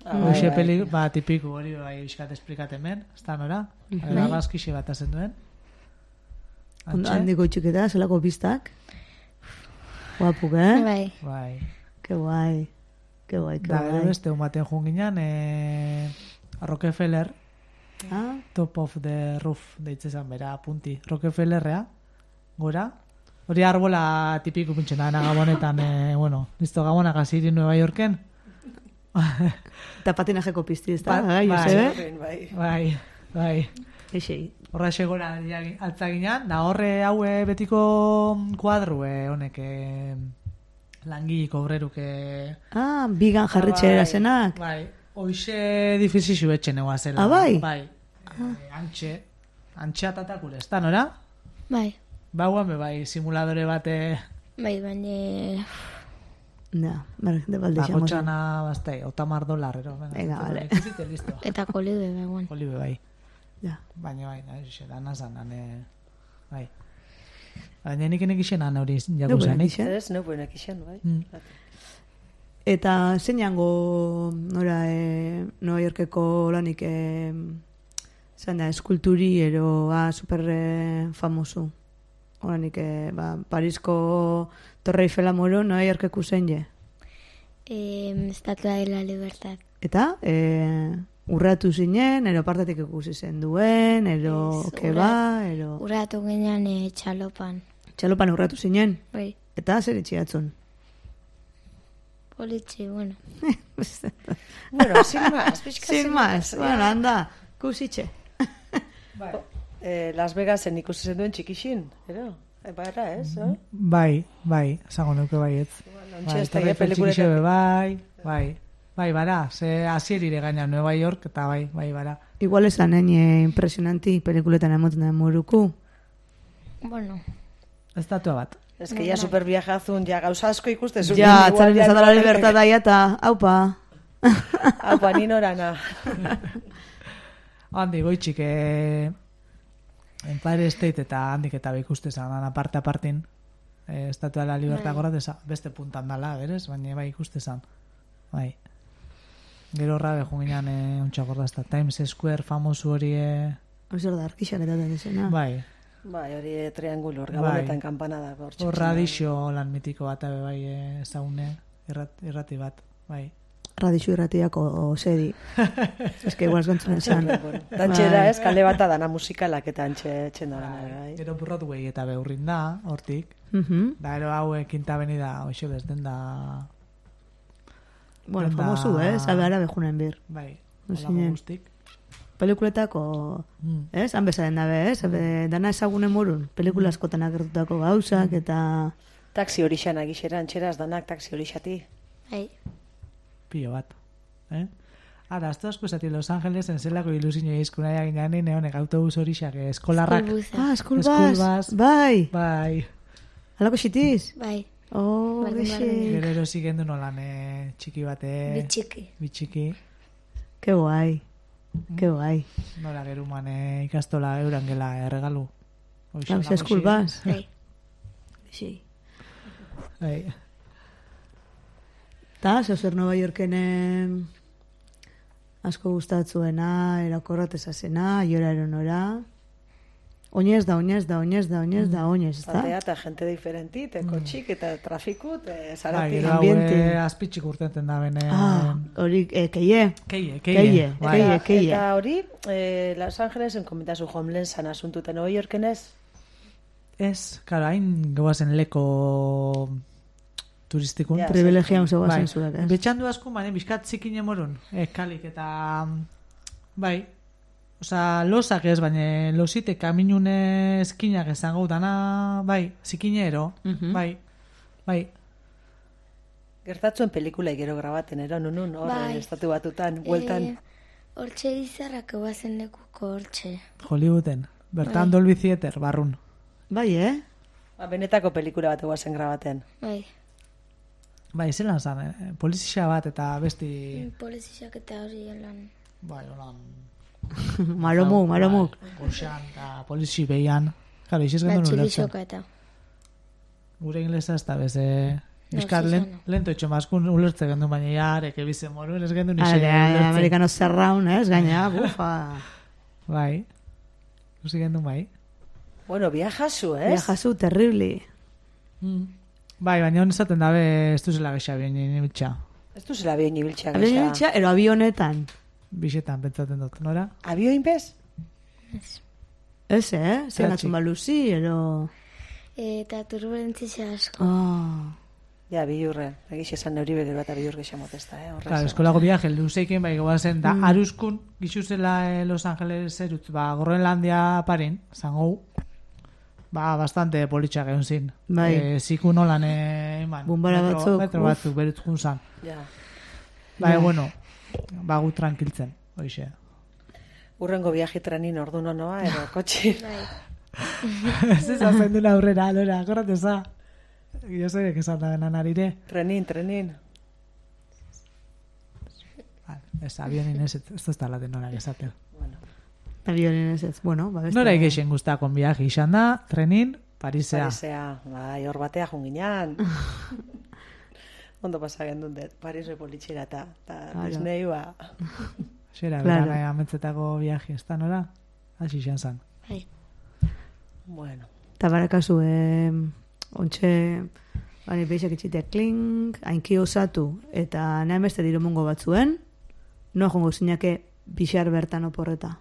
Ah, Hoxe bai, peli, bai. ba, tipiku hori bai euskat esplikaten ben. Ez da nora? Mhm. Bai. Argazkixe bat azen duen. Ondo handiko itxiketa, zelako pistak. Guapuk, eh? Bai, Bai. Ke guai. Ke guai, ke Da, gero guai. beste umaten joan ginen, eh, Rockefeller, Ah, Top of the Roof, deitzezan bera, punti. Rockefellerrea, gora. Hori arbola tipiku pintxena dena gabonetan, eh, bueno, listo, gabonak aziri Nueva Yorken. eta patinajeko pizti, ez da? Ba- Bai, bai. Josebe? Bai. Bai, bai. Eixei. Horra segora altzaginan, da horre haue betiko kuadru, eh, honek, eh, langiliko obreruke... Ah, bigan jarritxera zenak. Bai, hoxe difizixu etxen egoa zela. Ah, bai? Bai, eh, antxe, antxatatak ure, ez da, nora? Bai, Bauan, be bai, simuladore bate... bai, baina... Ja, ber, de balde xamos. Bakotxana, bastai, otamar dolar, ero. Venga, vale. Ikusite, listo. Eta kolibe begoen. Olibe, bai. Ja. Baina bai, da, xe, dana zan, ane... Bai. Baina nik enek isen ane hori jaku Neupenek zanik. ixen. Ez, neu buenak isen, bai. Mm. Eta zeinango nora e, Nueva Yorkeko lanik e, zan da, eskulturi ero a, super e, famosu. Oranik, e, ba, Parisko Torre Eiffela moro Nueva Yorkeko zein je. Eh, Estatua de la Libertad. Eta e, urratu zinen, ero partatik ikusi zen duen, ero Ez, keba, ero... Urratu ginean eh, txalopan. Txalopan urratu zinen. Bai, Eta zer itxiatzun. politxe, bueno. Bueno, sin más, pixka Sin más, bueno, anda, kusitxe. Eh, Las Vegasen ikusi zen duen txikixin, ero? Epa era, ez, eh? Bai, bai, esango nuke baietz. Ontxe Bai, ez da, Torre eh, Eiffel pelikuletak. txikixo be bai, bai. Bai, bara, ze azierire gaina Nueva York, eta bai, bai, bara. Igual esan ene impresionanti pelikuletan emoten da moruku. Bueno, Estatua bat. Ez que ya super viajazun, ja gauza asko ikustezun. Ja, atzaren ezatu la libertada eta, haupa. Hau, pa, ninorana. Handi, goitxik, eh, Empire State eta handik eta ikuste zan, aparte apartin, eh, Estatua de la Libertad Bai. gorra, beste puntan dala, berez, baina bai ikuste zan. Bai. Gero horra behun ginean eh, ontsa gordazta. Times Square famosu hori... Eh, Zer da, arkixak eta desena. bai. Bai, hori eh, triangulo, hor gabonetan kanpanada. Hor radixo lan mitiko bat abe bai eh, ezagune, irrat, irrati bat, bai. Radixu irratiako sedi. Ez que igual eskontzen esan. Dantxera Bai. ez, kale bata dana musikalak eta antxe txenda dana, bai. Gero Broadway eta beurrin da, hortik. Mhm. Da, ero hau Quinta Avenida, hoxe bez, den da... Bueno, Denda- famosu, eh? Zabe ara bejunen bir. Bai, No holako zinen. guztik. Pelikuletako, Mm. ez? Han bezaren dabe, ez? Be, dana ezagunen morun. Pelikula askotan agertutako gauzak eta... Taxi hori xana gixera, antxeraz danak taxi hori xati. bai, Pilo bat. Eh? Ara, azto asko esati Los Angelesen zelako ilusinio izkuna eginan neonek autobus hori xak, eskolarrak. Eskulbuza. Ah, eskulbaz. Eskulbaz. Bai. Bai. Halako xitiz? Bai, Oh, Bardin, gexe. bardin. Gero erosi gendu nolan eh, txiki bate. bitxiki. Bitxiki. Ke guai. Ke guai. Nola geruman eh, ikastola euran gela erregalu. Hoxe, Hau, nagoxi. eskulbaz. Bai, Gexe. Bai. Ta, zozer Nueva Yorken em, asko gustatzuena, erakorratezazena, jora eronora. Oinez da, oinez da, oinez da, oinez da, oinez, ez da? Batea eta gente diferenti, te kotxik eta trafiku, te Bai, zarati. gero hau ambiente. eh, azpitxik urtenten da bene. Ah, hori, eh, keie. Keie, Keie, keie. Bai. keie, keie. Eta hori, eh, Los Angelesen komentazu homelessan asuntuten Nueva Yorken ez? Ez, karo, hain goazen leko turistikun. Ja, Privilegiaun Bai, zegoazen zuak, ez? betxandu asko, bane, bizkat zikin emorun, eskalik eta, bai, oza, losak ez, baina losite kaminune eskinak esango dana, bai, zikinero, Mhm. bai, bai, Gertatzuen pelikula gero grabaten, ero, nunun, hor, Bai. eh, estatu batutan, bueltan. Eh, hortxe izarrak eguazen lekuko hortxe. Hollywooden, bertan Bai. Dolby Theater, barrun. Bai, eh? Ba, benetako pelikula bat eguazen grabaten. Bai, Bai, zelan zan, eh? polizia bat eta besti, polizizak eta hori lan. bai, holan, Maromuk, maromuk. bai, goxan, eta polizi behian, karo, iziz gendu ulertzen. Batxilisoka eta. Gure inglesa ez da bez, eh, Euskal No, len, zuzena. lento etxo maskun ulertze gendu, baina jarek ebizen moruen ez gendu nixe Ale, ulertzen. amerikano zerraun, ez? Gaina, bufa. Bai, usi gendu bai. Bueno, viajazu, ez? Viajazu, terribli. Mm. Bai, baina hon esaten dabe ez duzela gexa bien nibiltza. Ez duzela bion ibiltxak. Abien iltxa, ero avionetan. Bixetan pentsaten dut, nora? Abioin bez? Ez, eh? Zer Tratxik. natzun baluzi, ero... Eta turbulentzia asko. Ah. Ja, bilurre. Egiz esan neuri begero bat bilur gexamot ez da, eh? Horrez. Claro, eskolako viaje luzeiken bai goazen da aruskun gixuzela eh, Los Angeles erut, ba, Groenlandia parin, zango, ba, bastante politxak egon zin. Bai. Eh, ziku nolan, eh, eman, Bombara metro, batzuk, metro uf. batzuk berut junzan. Ja. Bai, Ja. bueno, ba, gu tranquiltzen, hoxe. Urrengo viaje trenin ordu nonoa, edo kotxi. Ez ezazen duna aurrera, lora, akorrateza. Jo zei que esan da benan arire. Trenin, trenin. Ez, avionin ez, ez ez da la denora esaten. Avionin ez ez, bueno, ba, beste... Nora ikeixen guztakon viaje izan da, trenin, Parisea. Parisea, bai, hor batea junginan. Ondo pasa gendun dut, Parisoi politxera eta Disney, ba... Xera, Claro. berana ametzetako viaje, ez da, nora? Hasi izan zan. Bai. Bueno, Eta barakazu, eh, ontxe, bani, beixak itxitea klink, hainki osatu, eta nahi beste diromungo batzuen, no jongo zinake bixar bertan oporreta.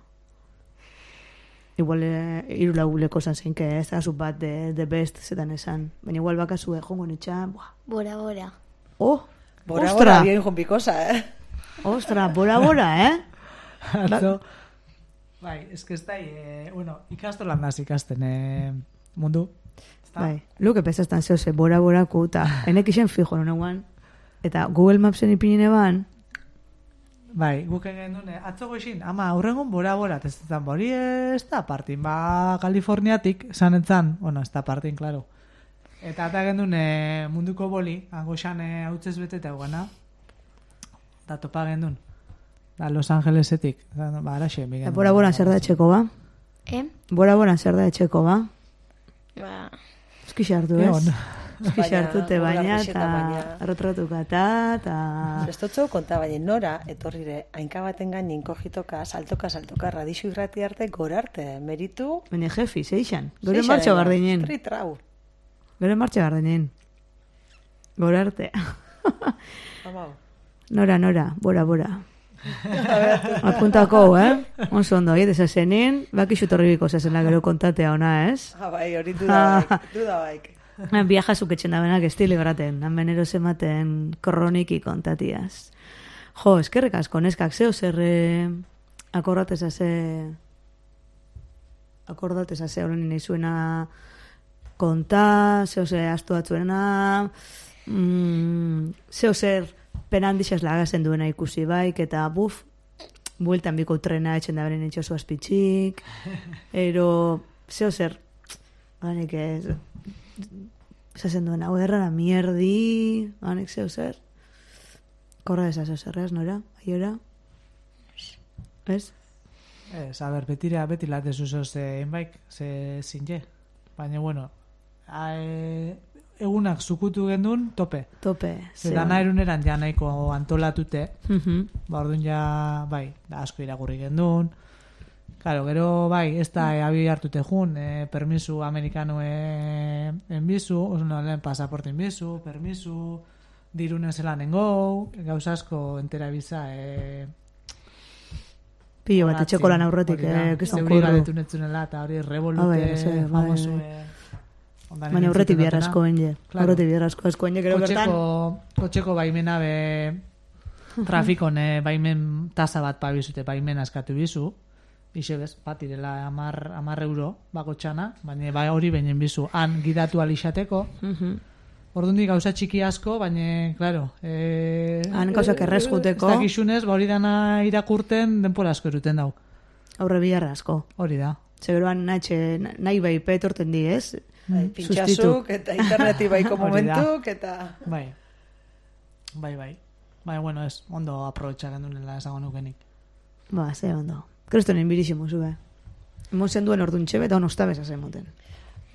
Igual, eh, irulau leko zan zeinke, ez da, bat de, de best zetan esan. Baina igual bakazu, eh, jongo nitxan, buah, Bora, bora. oh, bora, ostra, bora, bien junbikosa, eh? ostra, bora, bora, eh? Atzo, bai, ez que ez da, eh, bueno, ikastolan daz ikasten eh, mundu. Ezta? Bai, luke pesaztan zehoze, bora, borako, eta enek isen fijo, noneguan, eta Google Mapsen ipinine ban, Bai, guk egin dune, atzo goizin, ama, aurrengon bora-bora, ez zan, bori ez da partin, ba, Kaliforniatik, esan entzan, bueno, ez da partin, klaro. Eta eta egin dune munduko boli, angoxan hau txez bete eta gana, da topa egin duen, da Los Angelesetik, da, ba, araxe, eta bora, bora, zer da etxeko, ba? Eh? Bora, bora, zer da etxeko, ba? Ba, Eski hartu, ez? Egon. Eski Baina, hartute baina, Google eta baina- erretratukata, eta... Zestotxo konta baina nora, etorrire, hainka baten gain inkojitoka, saltoka, saltoka, radixo irrati arte, gora arte, meritu... Baina jefi, zeixan. Gure martxa bardinen. Tritrau. Gure martxa bardinen. Gora arte. Amau. Nora, nora, bora, bora. Apuntako, eh? Onzo ondo, hiet esazenin, baki xutorribiko zazena gero kontatea ona, ez? Ah, bai, hori duda baik, duda baik. Viaja zuketzen da benak estili graten, han ero zematen kroniki kontatiaz. Jo, eskerrik asko, neskak, zeo zer eh, akordateza ze... Akordateza ze horren nahi zuena konta, zeo ze astu batzuena, mm, zeo zer penandixaz lagazen duena ikusi baik, eta buf, bueltan biko trena etxen da beren etxosu azpitxik, ero, zeo zer, banik ez, esazen duen, hau errara mierdi, banik zeo zer, korra eza zeo zerreaz, nora, aiora, ez? Ez, a ber, betira, beti late zuzo ze enbaik, ze zinje. Baina, bueno, a, e, egunak zukutu gendun, tope. Tope. Ze dana eruneran ja nahiko antolatute, Mhm. ba, orduan ja, bai, da asko iragurri gendun. Claro, gero, bai, ez da e, abi hartute jun, e, permisu amerikano e, enbizu, no, lehen pasaporte enbizu, permisu, dirunen zelan engou, gauza asko entera biza, e, Pilo bat, etxeko lan aurretik, eh, kiston zeuri kurru. galetu netzunela, eta hori revolute, Ah, bai, bai, bai, famosu, bai. e, ondan Baina egin aurretik zuten bihar dutena. asko enge. Claro. Aurretik bihar asko asko enge, gero bertan. Kotxeko, kotxeko baimena be trafikon eh, baimen tasa bat pabizute, baimen askatu bizu. Ixe bez, bat irela amar, amar euro bako txana, baina ba hori beinen bizu. Han gidatu alixateko. Mhm. Ordundi gauza txiki asko, baina, claro... Eh, Han gauzak errez juteko. Ez dakizunez, ba hori dana irakurten denpora asko eruten dau. Aurre bihar asko. Hori da. Zeberoan nahi, nahi bai petorten di, ez? Bai, pintxasuk, eta interneti baiko Hori da. momentuk, eta... Bai. Bai, bai. Bai, bueno, ez, ondo aprobetxa gendunela esango nukenik. Ba, ze ondo. Kristonen biriximo zube. Emon zen duen orduan txebe, eta hon ostabeza zen moten.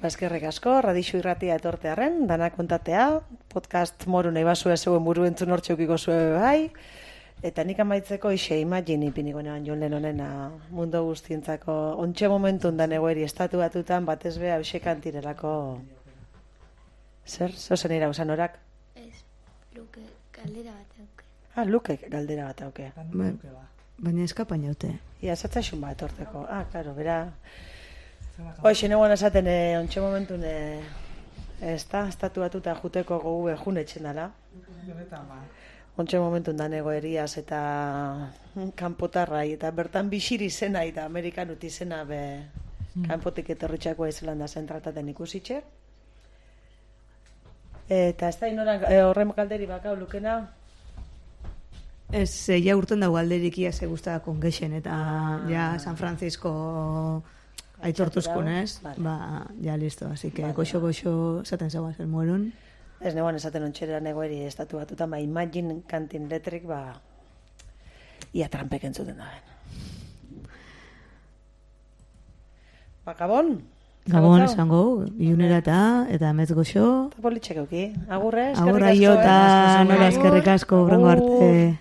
Baskerrek asko, radixo irratia etortearen, dana kontatea, podcast moru nahi basue zeuen buru entzun hortxeukiko zue bai, eta nik amaitzeko ixe imagine ipiniko neban John Lennonena mundu guztientzako ontxe momentun da negoeri estatu batutan batez beha eusekantirelako zer, zozen ira usan orak? ez, luke, kaldera bat auke. Ah, lukek galdera bat auke. Ba, baina eskapain jaute. Ia, zatzaixun bat etorteko. Ah, claro, bera... Hoxe, neguan esaten, eh, ontxe momentun, eh, ez da, estatu batuta juteko gogu jun etxen dala. Ontxe momentun da negoeriaz eta kanpotarrai, eta bertan bisiri zena eta amerikanut izena be kanpotik etorritxakoa izelan da zentrataten ikusitxe. Eta ez da inoran, eh, horren galderi bakau lukena, Ez, eh, ja urten dago alderik ia ze guztara kongexen, eta ja San Francisco aitortuzkun, ez? Vale. Ba, ja listo, así que Vale. goxo-goxo zaten zagoaz el mueron. Ez negoan esaten ontxera negoeri estatu batutan, ba, Imagine Cantin Electric, ba, ia trampek entzuten da ben. Ba, Gabon? Gabon Zagotau? esango, ilunera eta, eta emez goxo. Eta politxek euki. Agurre, eskerrik asko. Agurra jo eta eh? nola eskerrik asko, brongo arte. Agur.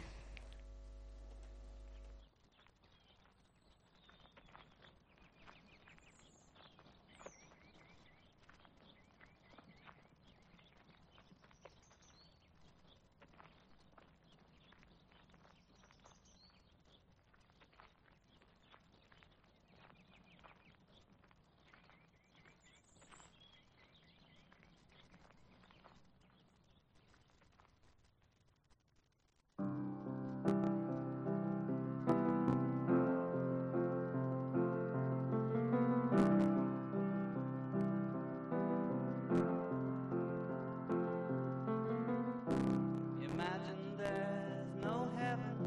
Imagine there's no heaven.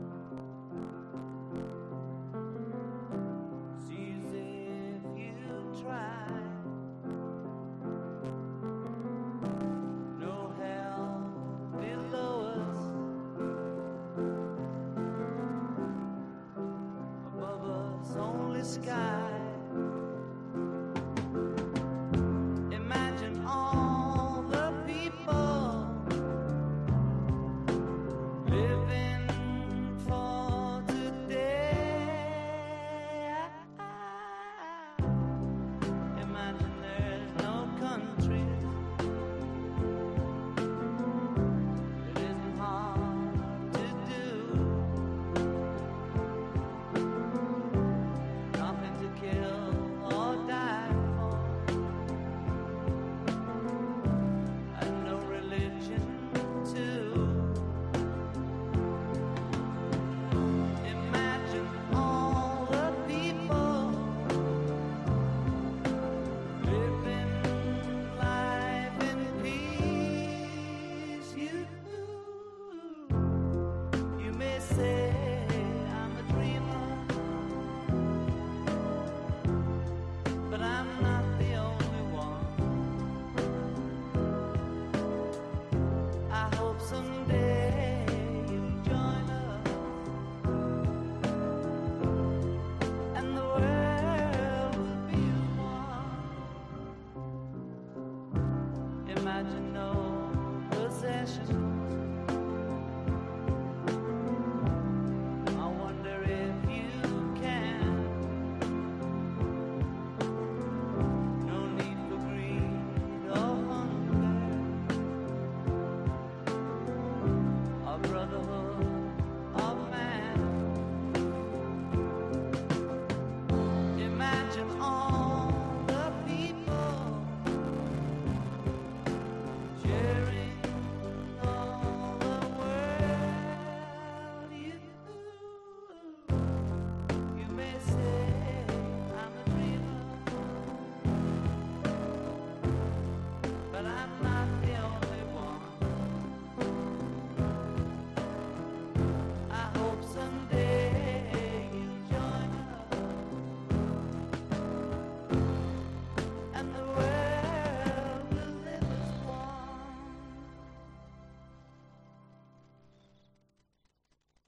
Seems if you try. No hell below us. Above us only sky. Imagine all the people living for today. Imagine there's no countries. It isn't hard to do. Nothing to kill or die for. And no religion too. Imagine all the people living life in peace. You, you may say I'm a dreamer, but I'm not the only one. I hope someday you'll join us. And the world will be as one. Imagine no